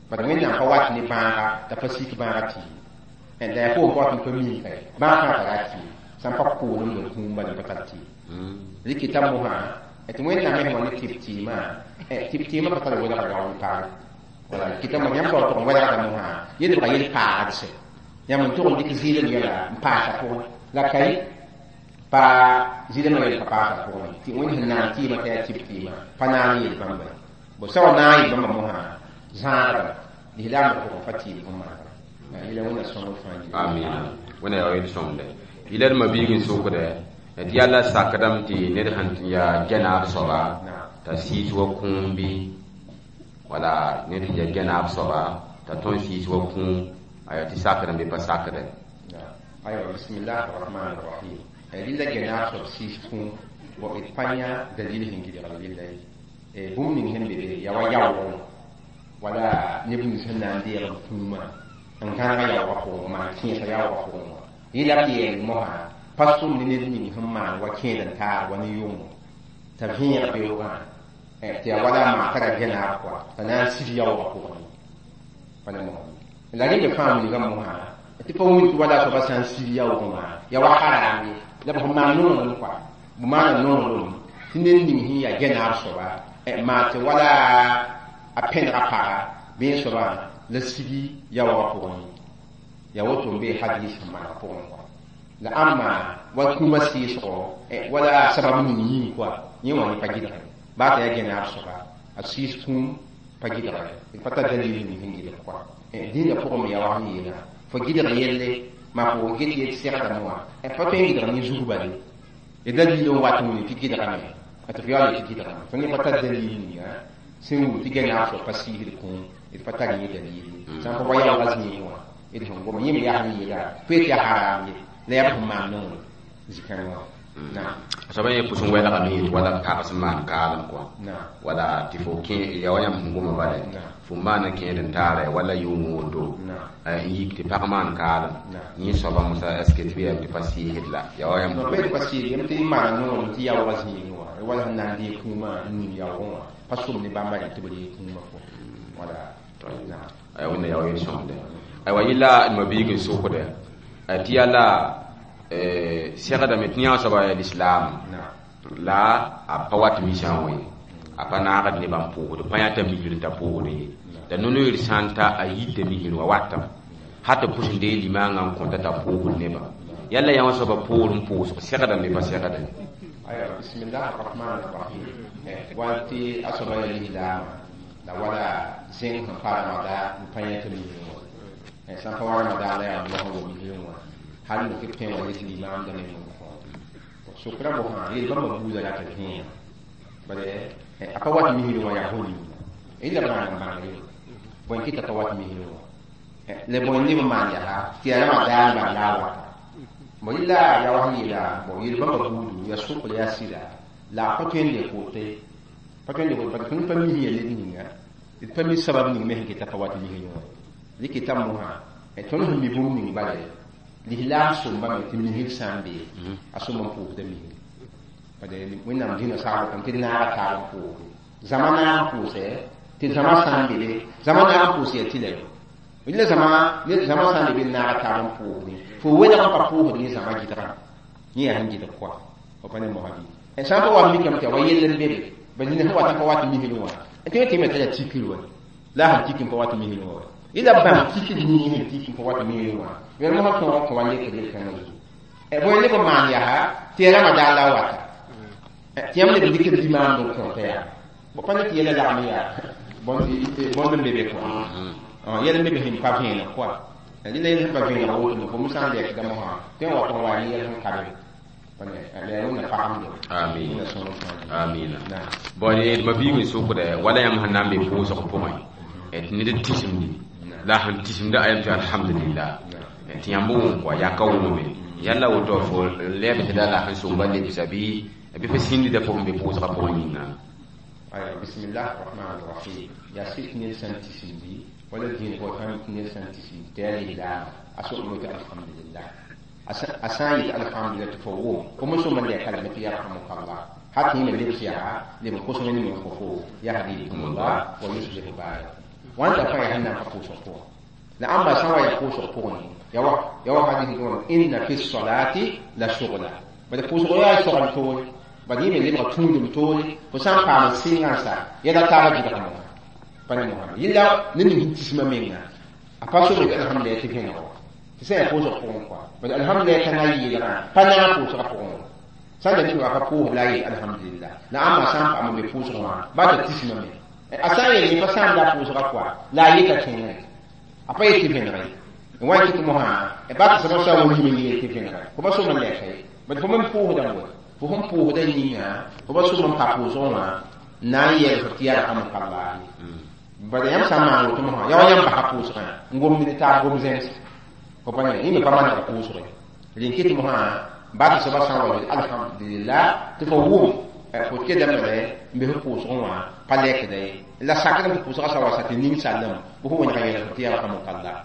bad wẽnnaam pa wat ne bãaga t'a pa sik bãaga tɩɩm la yaa fo n pa tɩ pa miim ka ye bãag fãa tara tɩɩm sã n pa koolem la kũum bala n pa tar tɩɩm rɩkɩta mosã tɩ wẽnnaam me sẽn wa ne tɩb tɩɩmã tɩb tɩɩmã pa tar welgd rao ne pag wala kɩta mo yãmb sao tʋg n welgda mosã yẽ lebga yel paagdse yãmb n tʋg n dɩk zɩɩlem yɛla n paasa pʋgẽ la ka ye pa zɩɩlem yɛl pa paasa pʋgẽ tɩ wẽnd sẽn naan tɩɩmã t'a yaa tɩb tɩɩmã pa naan yel bãmba ye bo sã wa naag yel bãmba mosã zãadame lislaamdã pʋgẽ pa tɩɩm sẽn maana yẽla wẽnna sõngr fãa amina wẽna yaa yel sõngde yɩla d mabiig n sʋkdɛ tɩ yaa la sakdame tɩ ned sẽn yaa gɛnaab soaba t'a siis wa kũum bɩ wala ned sẽn yaa gɛnaab soaba t'a tõe n siis wa kũum aya tɩ sakdame bɩ pa sakdɛ aywa bismillah arrahman arrahim rɩla gɛnaab soab siis kũum bo d pa yã dalil sẽn gɩdgd rɩlla ye bũmb ning sẽn be be yaa wa yaoogẽ wala neb nins sẽn na n deeg b kũumã n gãnega yaoogã pʋgẽ maan kẽesa yaoogã pʋgẽ wã yẽ la b yɛɛl mosã pa sʋm ne ned ning sẽn maan wa kẽed n taar wa ne yʋngo t'a vẽeg beoogã tɩ yaa wala maa tara gɛnaab kɔa t'a na n sig yaoogã pʋgẽ pa ne mosã la rẽ me fãa wilgã mosã tɩ pa wĩnt wala soaba sã n sig yaoogẽ wã yaa wa haram ye la b sẽn maan nonglem kɔa b maana nonglem tɩ ned ning sẽn yaa gɛnaab soaba maa tɩ wala a pẽnega paga bɩ soaba la sigi yaoogã pʋgẽ yaa woto n bee hadis sẽn maan pʋgẽ kɔa la ãmba wa kũumã sɩɩsgo wala sabab ning yĩng kɔa yẽ wã ne pa gɩdge baa t'a yaa gɛnaab soaba A sɩɩs kũum pa gɩdga d pa tar dalil ning sẽn gɩdg kɔa dĩinã pʋgẽ me yaa wa sẽn yeelã fo gɩdg yelle maa fo get yet segdame wã pa tõe n gɩdg ne zug bale d dalil n wat n wilg tɩ gɩdgame tɩ f yaool tɩ gɩdgame tõnd pa tar dalil ninga sẽn wilg tɩ gɛnaag soab pa sɩɩsd kũum d pa tar yẽ dalil ye sã n pa wa yaoogã zĩig wã d sẽn goma yẽ me yaa sẽn yeela fo yet yaa haram ye la yaa b sẽn maan nongr zĩ-kãngã wã. Soaba yẽ pʋs n wɛlgame yetɩ wala pag sẽn maan kaalem kɔa wala tɩ fo kẽ ya wa yãmb sẽn goma bala fo maana kẽed n taara wala yʋʋng woto n yik tɩ pag maan kaalem yẽ soaba mosa est ce que tɩ b yɛm tɩ pa sɩɩsd la ya wa yãmb pa sɩɩsd yam tɩ maana nongr tɩ yaoogã zĩigẽ wã wala sẽn na n dee kũumã n ning yaoogẽ wã pa som ne bãmba rẽ tɩ b ree kũumã fo wala. Wẽnna yaoo yel sõmde aywa yɩla mabiig n sokda tɩ yaa la segdame tɩ yã soaba yaa lislaam la a pa wat misã wã ye a pa naagd nebã n pʋʋsd pa yãta misr n ta pʋʋsd ye la no-noeer sã n ta a yita misr wã watame ha tɩ pʋs n dee limãangã n kõta t'a pʋʋsd nebã yalla yã wã soaba poor n pʋʋsg segdame pa segda. Aywa, bismillah arrahman arrahim. Wal tɩ a soaba yaa lislaamã la wala zẽng sẽn pa ramada n pa yãta misr wã sã n pa wa ramadan la yaa mosã wa misr wã hal n tɩ pẽ wa yetɩ limaamdã me n kõ sokra bosã yel bãmba buudã rata vẽeneg bala a pa wat misr wã yaa fo ninga la b rãag n bãng ye bõe kɩta t'a wat misr wã la bõe neb n maan yaa tɩ yaa ramadaan bala la a wata bon yɩla yaa wa sẽn yeela bon yel bãmba buudu yaa sokl yaa sɩda la a pa tõe n le kote pa tõe n le kote parce que tõnd pa mis yɛl d ninga d pa mi sabab ning me sẽn keta pa wat misr wã dɩk t'a mosã tõnd sẽn mi bũmb ning bala lislaam sõmbame tɩ misr sã n bee a sõm n pʋʋsda misr bala wẽnnaam dĩnã sagl tɩ d naaga taab n pʋʋsde zãma naag n pʋʋsɛ tɩ zãma sã n be zãma naag n pʋʋs yaa tɩ la la zãma sã n be d naaga taab n pʋʋsde fo welg n pa pʋʋsd ne zãma gɩdgã yẽ yaa sẽn gɩdg koa fo pa ne mosa bɩ sã n pa wa mikame tɩ wa yell n be be ba nina sẽn wat n pa wat misr wã tɩ tɩ me t'a yaa tikr wa la a sẽn tik n pa wat misr wã ila bãmb tikr ning sẽn tik n pa wat misr wã yẽl mosã tõog n kõ wa lekr yel-kãngã zugu bõe leb n maan yaa tɩ ya ramadan la wata tɩ yãmb leb n dɩkd limaamd n kõta yaa bo pa ne tɩ yɛla lagm yaa bõnd n be be kõ yɛl n be be sẽn pa vẽeneg koa rɩla yɛl sẽn pa vẽeneg woto fo sã n lɛkda mosã tɩ n wa n wa ne yɛl sẽn ka be amiina amiina bon d mabiig n sokda wala yãmb sẽn na n be pʋʋsg pʋgẽ tɩ ned n tɩsemdi la sẽn tɩsemda ayam tɩ alhamdulillah tɩ yãmb wʋm kɔa yaa ka wʋmame yalla woto fo lɛb tɩ la la sẽn sõmba lebsa bɩ fo sĩndda fo sẽn be pʋʋsgã pʋgẽ yĩnga. Bismillah rahman rahim. Yaa sɩk ned sã n tɩsemdi wala dĩin fo sã ned sã n tɩsemdi tɩ yaa lislaama a so'om tɩ alhamdulillah a sã n yet alhamdulillah tɩ fo wʋm fo me sõm n lɛka lame tɩ yarhamukallah ha tɩ yẽme lebs yaa leb n kos wẽnd me n kõ fo yahdikumullah wa yuslihu baalakum wãnda fãa yaa sẽn na n pa pʋʋsg pʋgẽ la ãmba sã n wa yaa pʋʋsg pʋgẽ ya wa hadis dõn inna fi salati la sugla bala pʋʋsg yaa sogl toore bala yẽ me lebga tũudum toore fo sã n paam n sɩngã n sa yɛla taabã gɩdgame wã pa ne mosã yella ne ning sẽn tismã menga a pa sobr tɩ alhamdulillah tɩ vẽneg wã tɩ sã yaa pʋʋsg pʋgẽ kɔa bala alhamdulillah kãngã yeelgã pa naag pʋʋsgã pʋgẽ wã sã n da tɩ wa pa pʋʋsd la a yeel alhamdulillah la ãmba sã n paam n be pʋʋsg wã ba tɩ tismã me a sã n yeel pa sãam la pʋʋsgã kɔa la a yeta kẽngẽ a pa yet tɩ vẽneg ye n wa kɩt mosã ba tɩ soaba sã wa yim n yeel tɩ vẽnega fo pa som n lɛka ye bad fo me pʋʋsdã n wa fo sẽn pʋʋsdã yĩnga fo pa som n pa pʋʋsg wã na n yɛl fo tɩ yarhamukallah bala yãmb sã n maan woto mosã yaa wa yãmb basa pʋʋsgã n gomd ne taab gom zẽms fo pa ne yẽ me pa maneg pʋʋsge rẽn kɩt mosã ba tɩ soaba sã n wa alhamdulillah tɩ fo wʋm fo kedame n be f pʋʋsgẽ wã pa lɛkda ye la sakdame tɩ pʋʋsgã sã wa sa tɩ ning sallame bɩ fo wẽnega yɛl tɩ yarhamukallah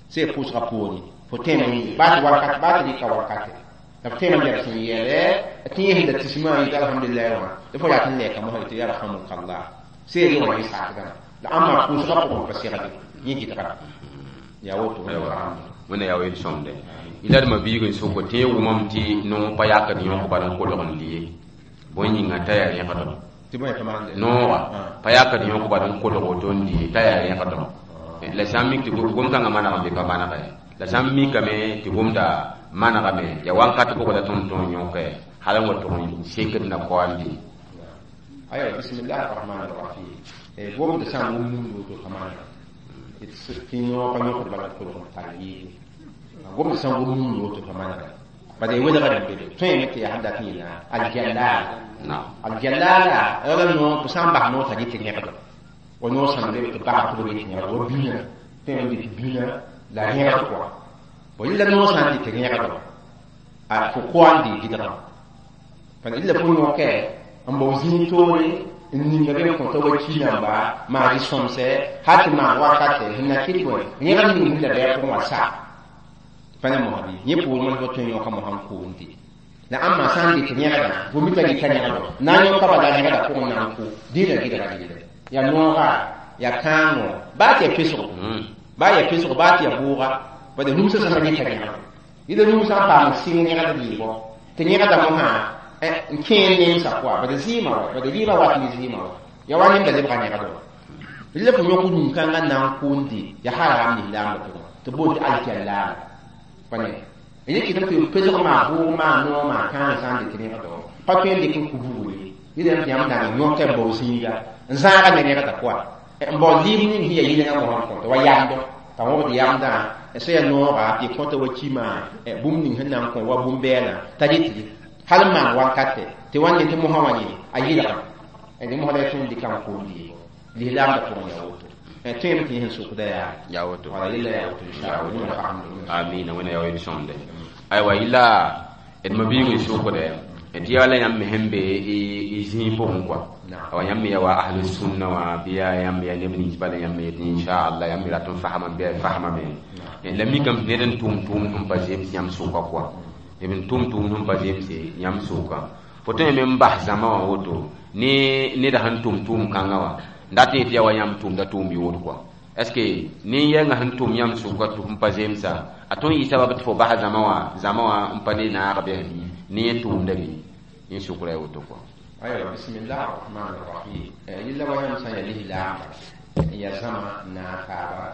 sẽn pʋʋsgã poore fo tẽem baa tɩ wakat baa tɩ rɩka wakate la f tẽem n lɛb sẽn yɛlɛ tɩ yẽ sẽn da tismã yetɩ alhamdulillah wã tɩ fo yaa tɩ n lɛka mosã tɩ yarhamukallah sẽn rɩ wã yẽ sakdame la ãmba pʋʋsgã pʋgẽ pa segde yẽ gɩdga yaa woto. Wẽnna yaa yel sõmde yɩla d mabiig n soko tɩ yẽ wʋmame tɩ noog pa yakd yõk bal n kolg n lie bõe yĩnga t'a yaa rẽgdem noogã pa yakd yõk bal n kolg woto n lie t'a yaa rẽgdem la sã n mik tɩ gom-kãngã maneg n be pa manegɛ la sã n mikame tɩ gomda manegame ya wãnkat pʋgã la tõnd tõog yõke hal n wa tʋg n sekd na kaoa n lie. Aya, bismillah arrahman arrahim. Gomd sã n wʋm nund woto pa maana tɩ yõ pa yõkd bala kolg n tar yɩɩde gomd sã n wʋm nund woto pa maana bala y welgdã n be be tõeme tɩ yaa sẽn dat n yeelã aljallala aljallala wala no sã n bas noog t'a dɩt rẽgdo wa noog sãn be tɩ bas tɩ b dɩt rẽgdo wa bĩnã tõeme dɩt bĩnã la rẽgd kɔa bõ yella noog sã n dɩt rẽgdo a fo koa n dɩ gɩdgã pa yella fo yõkɛ n bao zĩig toore n ninga be n kõta wa ki namba maa rɩ sõmsɛ hal tɩ maan wakatɛ sẽn na kɩt bõe rẽgd ning sẽn la bɩ a pʋgẽ wã sa pa ne mosã bɩ yẽ poorẽ fo tõe n yõka mosã n koom tɩ la ãmba sã n dɩt rẽgdã fo mika dɩta rẽgdo na n yõka bala rẽgda pʋgẽ na n kʋ dĩinã gɩdga rɩɩlɛ yaa nooga yaa kãango baa tɩ yaa pesgo baa yaa pesgo baa tɩ yaa bʋʋga bala numsã sã n dɩta rẽgdo yɩla numsã n paam sɩng rẽgd yɩɩbɔ tɩ rẽgda mosã n kẽer nemsã pʋga bala zɩɩmã wa bala rɩɩbã wat ne zɩɩmã wa yaa wa nemda lebga rẽgdo rɩla fo yõk rũm-kãngã na n kʋʋnde yaa haram lislaambã pʋgẽ tɩ boond tɩ aljallaala pane yẽ kɩt tɩ pesg maa bʋʋg maa noog maa kãang sã n dɩt rẽgdo pa tõe n dɩk n kʋ bugre yɩla tɩ yãmb na n yõka n bao zĩiga n zãaga ne rẽgda pʋga n bao lɩɩb ning sẽn yaa yɩlenga mosã n kõta wa yamdo t'a wõbd yamdã sã yaa nooga tɩ kõta wa kima bũmb ning sẽn na n kõ wa bũmb-bɛɛlã t'a dɩt hal n maan wankatɛ tɩ wa ne tɩ mosã wã yẽ a yɩlgã dẽ mosã la y tõe n dɩka n koom yɩɩbo lislaamdã pʋgẽ yaa woto tõeme tɩ yẽ sẽn sokda yaa woto wala yella yaa woto inshallah amina wẽna yaa sõmde aywa yɩla d ma-biig n sokdɛ tɩ yaa la yãmb me sẽn be y zĩig pʋgẽ kɔa awa yãmb me yaa wa ahlu sunna wã bɩ yaa yãmb yaa neb nins bala yãmb me yetɩ inchallah yãmb me rat n fasma bɩ a fasmame la mikame tɩ ned n tʋm tʋʋmd sẽn pa zems yãmb sʋka kɔa neb n tʋm tʋʋmd sẽn pa zemse yãmb sʋka fo tõe me n bas zãma wã woto ne neda sẽn tʋm tʋʋm kãngã wã n dat n yetɩ yaa wa yãmb tʋmda tʋʋm yood kɔa est ce que nin-yɛngã sẽn tʋm yãmb sʋka tɩ f pa zemsa a tõe n yɩ sabab tɩ fo bas zãma wã n pa ne naag bɩ ne yẽ tʋʋmda bɩ yẽ sʋkra ya woto kɔa aywa bismillah arrahman arrahim yella wa yãmb sã n yaa lislaamba n yaa zãma n naag taaba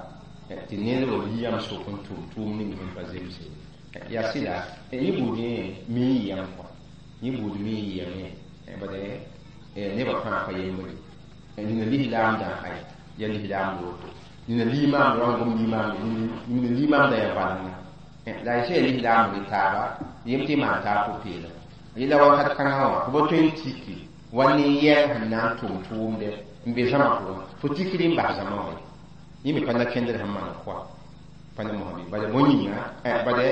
tɩ ned wa yi yãmb sʋk n tʋm tʋʋm ning sẽn pa zemse yaa sɩda yẽ buud yẽ mi n yɩyame kɔa yẽ buud mi n yɩyame bad nebã fãa pa yembre nina lislaamdã ay yaa lislaamd woto nina limaamd wa n gom limaamd nina limaamdã yaa valenga la y sã yaa lislaamd taaba yem tɩ maan taab pʋ-peelem yella wakat kãngã wã fo pa tõe n tiki wa nin-yɛng sẽn na n tʋm tʋʋmdɛ n be zãma pʋgẽ fo tikri n bas zãma wã yẽ me pa na kẽndr sẽn maan koa pa ne mosã bɩ bala bõe yĩnga bala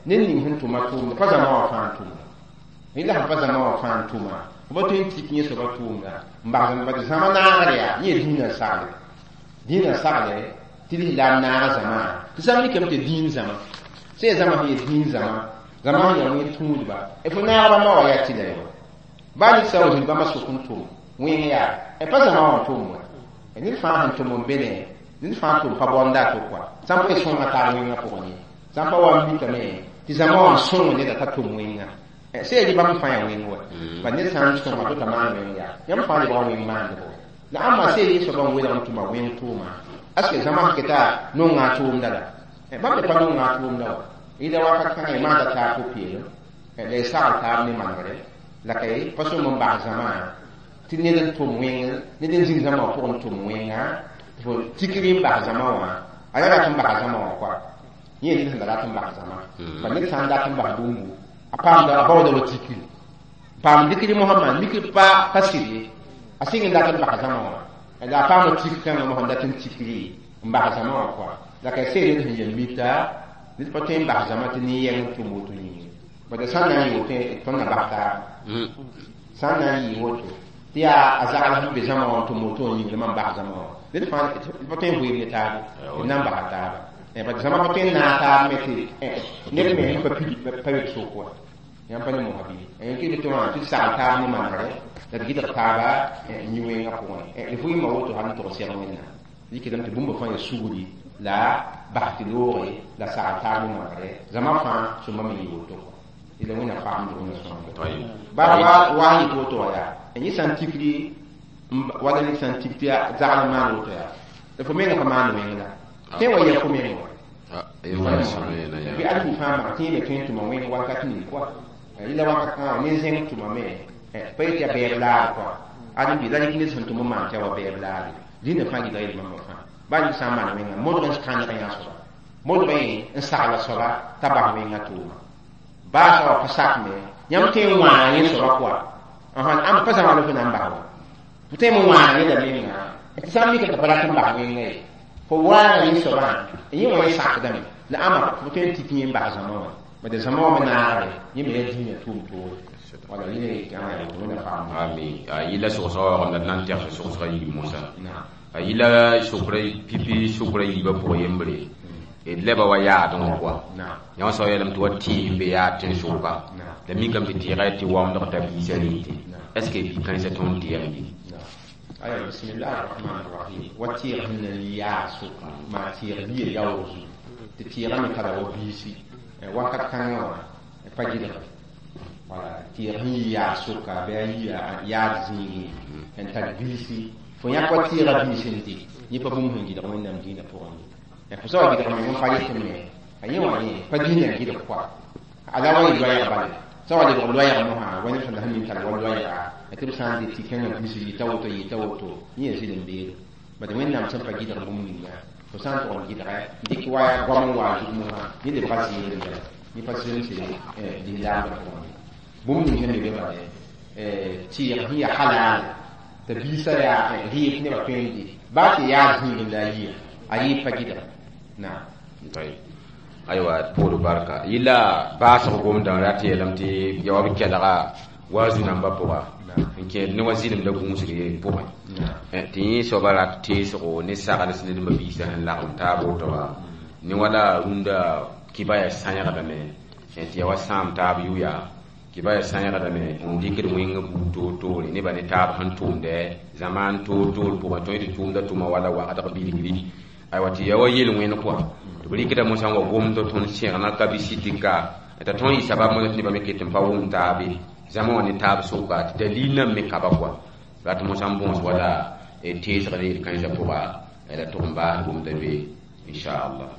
ned ning sẽn tʋma tʋʋmda pa zãma wã fãa n tʋmda yella sẽn pa zãma wã fãa n tʋma fo pa tõe n tik yẽ soaba tʋʋmda n bas bad zãma naagr yaa yẽ dĩinã sagle tɩ lislaam naaga zãma tɩ sã n mikame tɩ dĩin zãma sã yaa zãma sẽn yaa dĩin zãma zãma sẽn yaa wẽn tũudba fo naagba ma wa yaa tɩ la yo baa ned sã n wa zĩnd bãmba sʋk n tʋm wẽng yaa pa zãma wã n tʋm wa ned fãa sẽn tʋm n be ne ned fãa tʋm pa bɔnda a to kɔa sã n pa sõnga taab wẽngã pʋgẽ ye sã n pa wa n mikame tɩ zãma wã n sõng neda t'a tʋm wẽnga sã yaa bãmb fãa yaa wẽng wa ba ned sã n sõnga to t'a maan wẽng yaa yãmb fãa lebga wẽng maandbo la ãmba sã yaa soaba n welg n tʋma wẽng tʋʋma aske zãma sẽn keta nonga a tʋʋmda la bãmb me pa nonga a tʋʋmda wa yɩla wakat kãngã y maanda taab pʋ-peelem la y sagl taab ne manegre la ka y pa sõm n bas zãma tɩ ned n tʋm wẽng ned n zĩng zãma wã pʋgẽ n tʋm wẽnga fo tikri n bas zãma wã a yaa rat n bas zãma wã kɔa yẽ ned sẽn da rat n bas zãma pa ned sã n dat n bas bũmbu a paamda a baooda wa tikri paam dikri mosã mikr pa pa sɩd ye a sɩng n dat n bas zãma wã la a paama tik kãngã mosã dat n tikri n bas zãma wã kɔa la ka sẽe ned sẽn yel mita ned pa tõe n bas zãma tɩ nin-yɛng n tʋm woto yĩnga bad sã n na n yɩ woto tõnd na bas taaba sã n na n yɩ woto tɩ yaa a zagl sẽn be zãma wã n tʋm woto n yĩngr mam bas zãma wã ned fãa pa tõe n vɩɩm ne taaba d na n basa taaba bad zãma pa tõe n naag taab me tɩ ned me sẽn pa pid pa yod sok wa yãmb pa ne mosã bɩ kɩ tɩ wã tɩ sagl taab ne manegre la d gɩdg taaba yĩ-wẽngã pʋgẽ d vɩɩmã woto hal n tog sɛg wẽnnaam dɩkdame tɩ bũmba fãa yaa sugri la bas tɩ loogre la sagl taab ne manegre zãma fãa sõmba me yɩ woto kɔa yɩla wẽnna faamd wẽnna sõmda bala wa n yɩt woto wã yaa yẽ sã n tikri wala ned sã n tik tɩ zagl n maan woto yaa la fo menga pa maan wẽng la tẽ wa yɛ fo meng wa bɩ ad fũ fãa mak tɩ yẽ me tõe n tʋma wẽng wakat ning kɔa yɩla wakat kãngã ne zẽng tʋma me pa yetɩ yaa bɛɛb laar kɔa ad n bɩ la rɩk ned sẽn tʋm n maan tɩ ya wa bɛɛb laare Dĩinã fãa gɩdg yel-bãmba fãa baa ned sã n maan wẽnga modg n kãneg yã soaba modg n sagla soaba t'a bas wẽngã tʋʋma baa soaba pa sak me yãmb tõe n wãana yẽ soaba pʋga ãmb pa zãma la fo na n bas wa fo tõe n wãana yẽla menga tɩ sã n mika tɩ pa rat n bas wẽnga ye fo waana yẽ soabã yẽ wã yẽ sakdame la ãmba fo tõe n tik yẽ n bas zãma wã bad zãma wã me naagre yẽ me yaa dĩinã tʋʋm toore wala yẽ wẽnna faam ami a yɩla sogsga waoogem la d na n tɛgs sogsga yiib mosã a yɩla sʋkra pipi sʋkra yiibã pʋgã yembre d lɛba wa yaadẽ wã pʋga yã wã soab yeelame tɩ wa tɩɩs n be yaad tẽn-sʋka la mikame tɩ tɩɩga tɩ waoomdg t'a biisã rente est ce que bi-kãensã tõnd tɩyam bɩ? Aya, bismillah arrahman arrahim. Wa tɩɩg sẽn na n yaa sʋka maa tɩɩg biya yaoog zugu tɩ tɩɩgã me tara wa biisi wakat kãngã wã pa gɩdge wala tɩɩg sẽn yi yaad sʋka bɩ a yi yaad zĩigẽ n tar biisi fo yãk wa tɩɩga biis n tɩ yẽ pa bũmb sẽn gɩdg Wẽnnaam dĩinã pʋgẽ ye fo soaba gɩdg meng n pa yetɩ me a yẽ wã yẽ pa dĩinã gɩdg pʋga ala wa yɩ loɛɛg bale sã wa lebg loɛɛg mosã wa neb sẽn la sẽn min tar wa loɛɛga tɩ b sã n dɩ tɩ kẽngã biis yɩta woto yɩta woto yẽ yaa zɩlem beelo bad Wẽnnaam sẽn pa gɩdg bũmb ninga fo sã n tʋg n gɩdgɛ dɩk wa goam n wa zug mosã yẽ lebga zɩɩd n yɛla yẽ pa zemse lislaamdã pʋgẽ bũmb ning sẽn me be bale tɩɩg sẽn yaa halal t'a biisã yaa rɩɩb nebã tõe n dɩ baa tɩ yaa zĩigẽ la a yia a yɩɩb pa gɩdga naam. Aywa, poor barka yɩla baasg gomdã rat yeelame tɩ ya wa b kelga wa zu-nambã pʋga n kẽed ne wa zɩlemda gũusg ye pʋgẽ tɩ yẽ soaba rat teesgo ne sagls ned mabiisã sẽn lagem taab woto wã ne wala rũndã kibaya sãyegdame tɩ ya wa sãam taab yʋya kibaya sãyegdame n dɩkd wẽng buud toor-toore nebã ne taab sẽn tʋʋmdɛ zamaan toor-toor pʋgẽ tõe tɩ tʋʋmda tʋma wala wagdg bilgri aywa tɩ ya wa yel-wẽn kɔa tɩ b rɩkda mosã n wa gomd tõnd sẽgna ka bɩ sɩtɩka t'a tõnd yɩ sabab mosã tɩ nebã me ket n pa wʋm taabe zãma wã ne taab sʋka tɩ dalil nan me kaba kɔa rat mosã n bõos wala teesg ne yel-kãensã pʋga la tʋg n baas gomda be inchallah.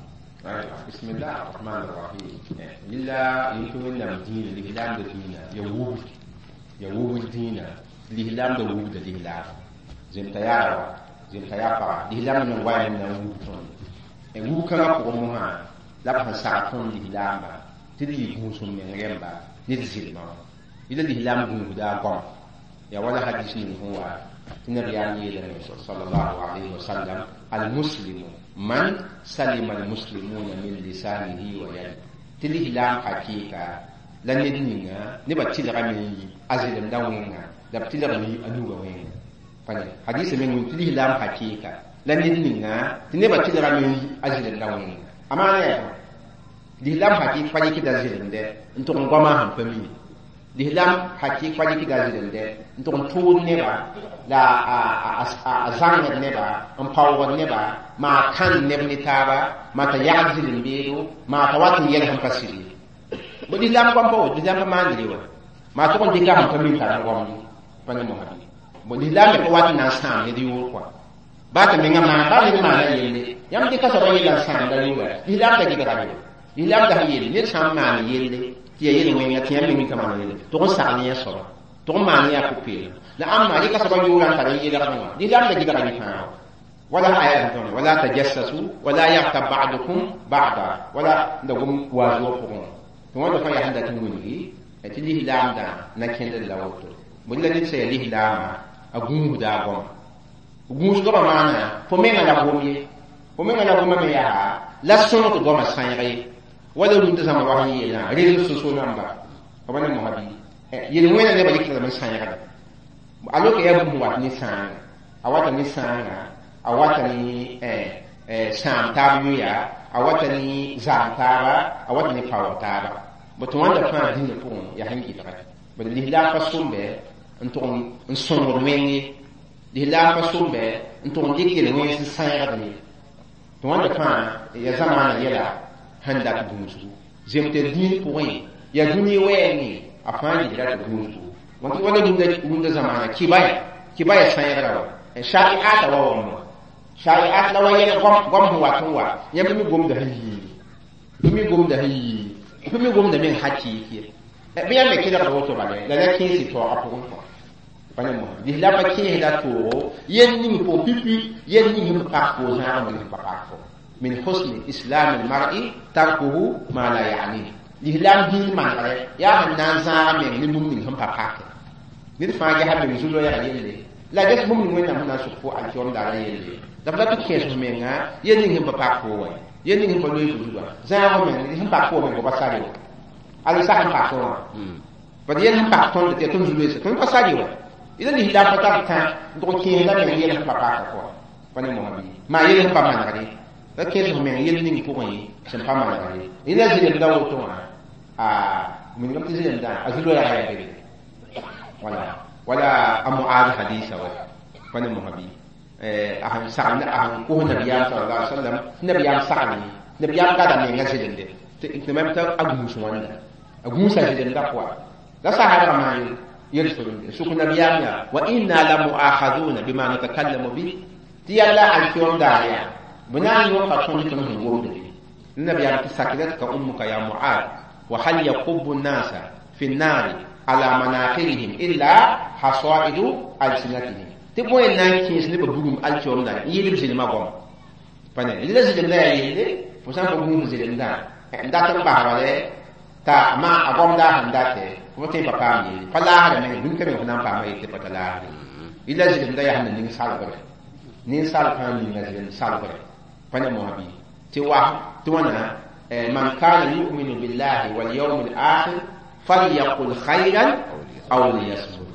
Bismillah arrahman arrahim. Lilla yẽk Wẽnnaam dĩinã lislaamda dĩinã ya wubd ya wubd dĩinã lislaamda wubda lislaam zemta yaa wa zemta yaa paga lislaam meng wa na n wub tõnd wub kãngã pʋgẽ mosã la b sẽn sag tõnd lislaamba tɩ d yɩ gũusem meng rẽmba ne d zɩlmã wã yɩla lislaam gũusda a goam ya wala hadis ning sẽn wa tɩ nabiyaam yeelame sallallahu alayhi wa sallam almuslimu man salima almuslimuna min lisanihi wa yadi tɩ lislaam hakɩɩka la ned ninga nebã tɩlgame n yi a zɩlemda wẽnga la b tɩlgame yi a nuga wẽnga pa ne hadisa meng tɩ lislaam hakɩɩka la ned ninga tɩ nebã tɩlgame n yi a zɩlemda wẽnga a maana yaa lislaam hakɩɩk pa yɩkda zɩlemdɛ n tʋg n goamã sẽn pa mi lislaam hakɩɩk pa yɩkda zɩlemdɛ n tʋg n tʋʋd neba la a zãngd neba n paoogd neba maa kãnd neb ne taaba maa t'a yagd zɩlem beedo maa t'a wat n yɛl sẽn pa sɩd ye bo lislaam goam pa woto lislaam pa maandre wa maa tʋg n dɩka sẽn pa min tar n goamd pa ne mosã bo lislaam me pa wat n na n sãam ned yʋʋr kɔa baa t'a menga maan baa ned maana yelle yãmb dɩka soaba yella n sãamda yʋʋra lislaam da gɩdgame lislaam da yelle ned sã n maan yelle tɩ ya yel-wẽnga tɩ yãmb meng ka maan yelle tʋg n sagl yẽ soaba tʋg n maan yã pʋ-peelem la ãmba rɩka soaba yʋʋra n tar n yelgdẽ wã lislaam da gɩdga yẽ fãa wala aya tõne wala tajassasu wala yaghtab ba'dukum ba'da wala da gom waazuwã pʋgẽ tɩ wãnda fãa yaa sẽn dat n wilgi tɩ lislaamdã na kẽndr la woto bõe la ned sã yaa lislaamã a gũusda a goama gũusgã maana fo menga la gom ye fo menga la goma me yaa la sõng tɩ goamã sãeeg ye wala rũndã zãma wa sẽn yeelã réseaux sociaux namba fa ba ne mosã bɩ yel-wẽnã nebã yɩkdame n sãeegda alors que yaa bũmb wat ne sãanga a wata ne sãanga a wata ne sãam taab yʋya a wata ne zaam taaba a wata ne paoog taaba bõ tɩ wãnda fãa dĩinã pʋgẽ yaa sẽn gɩdgɛ bad lislaam pa sõmbe n tʋg n sõngd wẽng ye lislaam pa sõmbe n tʋg n dɩk yel-wẽns n sãeegd ye tɩ wãnda fãa ya zamaana yɛla sẽn dat gũusgu zemtɛ dĩin pʋgẽ yaa dũni wɛɛngẽ a fãa gɩdra tɩ gũusgu wala rũndã zamaana kibaya sãeegra wa shari'ata wa wãmba shari'at la wa yɛl goam sẽn wat n wa yãmb mi gomda sẽn yiigi fo mi gomda sẽn yiigi fo mi gomda meng hakɩɩk ye bɩ yãmb me kelgda woto bala la la kẽes taoogã pʋgẽ kɔ Pa ne mosã lislaam pa kẽesda toogo yel ning pʋgẽ pipi yel ning sẽn pak fo zãag n pa pak fo min husni islam almar'i tarkuhu ma la ya'ni lislaam dĩin manegre yaa sẽn na n zãaga meng ne bũmb ning sẽn pa pake ned fãa gesa meng zu-loɛɛgã yelle la ges bũmb ning wẽnnaam sẽn na n sʋk fo alkiom daarã yelle la f la tɩ kẽes f menga yel ning sẽn pa pak fo wa yel ning sẽn pa loe fo zugã zãag meng sẽn pak fo meng pa sar wa ala sa sẽn pak wã bad yel sẽn pak tõnd tɩ tõnd zu-loeesa tõnd pa sar wa ila lislaam pa tar tã n tʋg kẽesda meng yel sẽn pa paka pʋga pa ne mosã bɩ maa yel sẽn pa manegre la kẽes f meng yel ning pʋgẽ sẽn pa manegre ila zɩlemda woto wã a minigame tɩ zɩlemdã a zu-loɛɛga yaa bebe wala wala a Muaz hadisa wa pa ne mosã bɩ a sẽn sagl a sẽn kos nabiyaam sallallahu alaihi wasallam nabiyaam saglẽ nabiyaam gada menga zɩlemde tɩ mam t'a a gũus wãnda a gũusa zɩlemda pʋga la sahabã maan yel-solemde sʋk nabiyaam yaa wa inna la muakhaduna bima natakallamu bi tɩ yalla alkiom daar yaa bɩ na n yõka tõnd tõnd sẽn gomde nabiyaam tɩ sakilatka ummuka ya Muad wa hal yakubu nnasa fi nnari ala manaqirihim illa hasaidu alsinatihim tɩ bõe n na n kẽes nebã bugum alkiom daar n yɩɩl b zɩlmã goam pa ne la zɩlemdã yaa yelle fo sã n pa gũus zɩlemdã n dat n basba t'a ma a goamda sẽn date fo tõe n pa paam yelle pa laasda meng bũmb ka meng fo na n paama yelle pa ta laasde yɩla zɩlemdã yaa sẽn na ning salgre ninsaal fãa ninga zɩlem salgre pa ne mosã bɩ tɩ wa tɩ wãna man kana yuminu billahi walyawm alakhir falyaqul khayran aw liyasmut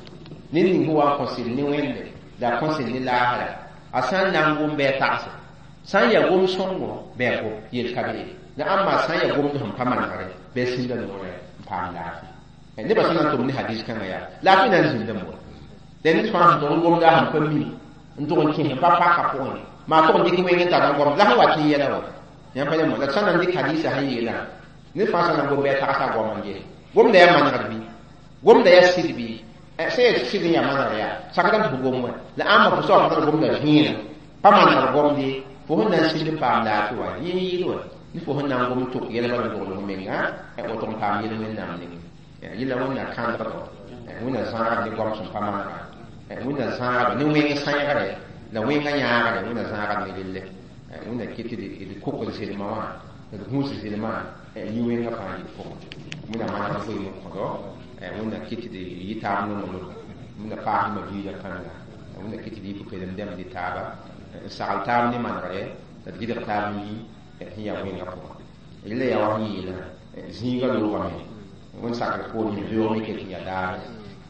ned ning sẽn wa n kõ sɩd ne wẽnde la a kõ sɩd ne laasra a sã n na n gom bɩ a tagse sã n yaa gom sõngo bɩ a gom yel ka be la ãmba sã n yaa gomd sẽn pa manegre bɩ a sĩnda noorẽ n paam laafɩ nebã sẽn na n tʋm ne hadis kãngã yaa laafɩ na n zĩndame wa la ned fãa sẽn tʋg n gomda sẽn pa mi n tʋg n kẽes n pa paka pʋgẽ maa tʋg n dɩk wẽng n tar n gomd la sẽn wat n yɛla wa yãmb pa yãmb la sã na n dɩk hadisa sẽn yeelã ned fãa sã na n gom bɩ a tagsa a goam n ges gomda yaa manegd bɩ gomda yaa sɩd bɩ sẽn yaa sɩd n yaa manegr yaa sakdame tɩ fo gom wa la ãmba fo soab tar gomda vẽeneg pa manegd gomde fo sẽn na n sɩd n paam laafɩ wa yẽ yɩɩd wa ne fo sẽn na n gom tʋk yɛl bala n dogl f menga woto n paam yel wẽnnaam nengẽ yɩla wẽnna kãndgdo wẽnna zãagd ne goam sẽn pa manega wẽnna zãagdo ne wẽng sãegre la wẽngã yãagre wẽnna zãagd ne relle wẽnna ket d kokd zɩlmã wã d gũus zɩlmã yĩ wẽngã fãa yɩ pʋgẽ wẽnna manegd vɩɩm n kõdo wẽnna ket d yɩ taab nonglem wẽnna paasdmã biigã kãnga wẽnna ket d yɩ pʋ-peelem dɛmb ne taaba n sagl taab ne manegre la d gɩdg taab n yi sẽn yaa wẽngã pʋgẽ yella yaa wa sẽn yeelã zĩigã loogame wẽnd sakr poorẽ beoog me ket n yaa daar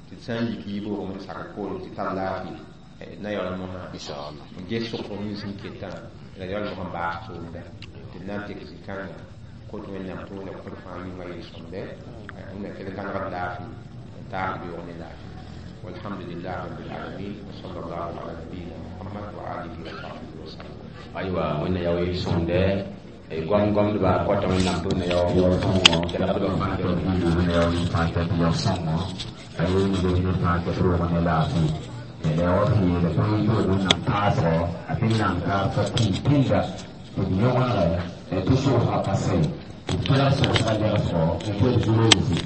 tɩ d sã n yik yiboog wẽnd sakr poorẽ tɩ tar laafɩ na yaool mosã n ges sʋk nins sẽn ketã la yaool mosã n baas tʋʋmda tɩ d na n tek zĩ-kãnga kot wẽnnaam tɩ wẽnna kõd fãa yʋnga yel-sõmde wẽnna kell gãnegd laafɩ n taas beoog ne laafɩ walhamdulillah rabbil alamin wa sallallahu ala nabiyina muhammad wa alihi wa sahbihi wa sallam aywa wẽnna yao yel-sõmde goam gomdba kota wẽnnaam tɩ wẽnna yao sõngo kelgdbã fãa wẽnna yao fãa tɩ yao sõngo a yel fãa tɩ roog ne laafɩ la wa sẽn yeela tõnd n toog wẽnnaam taasgɔ a tɩ nan ka pa pĩnd pĩnda tɩ d yõgenegɛ tɩ soosgã pa sɛ tɩ d kelg soosgã legsgɔ n kel zu-loeese.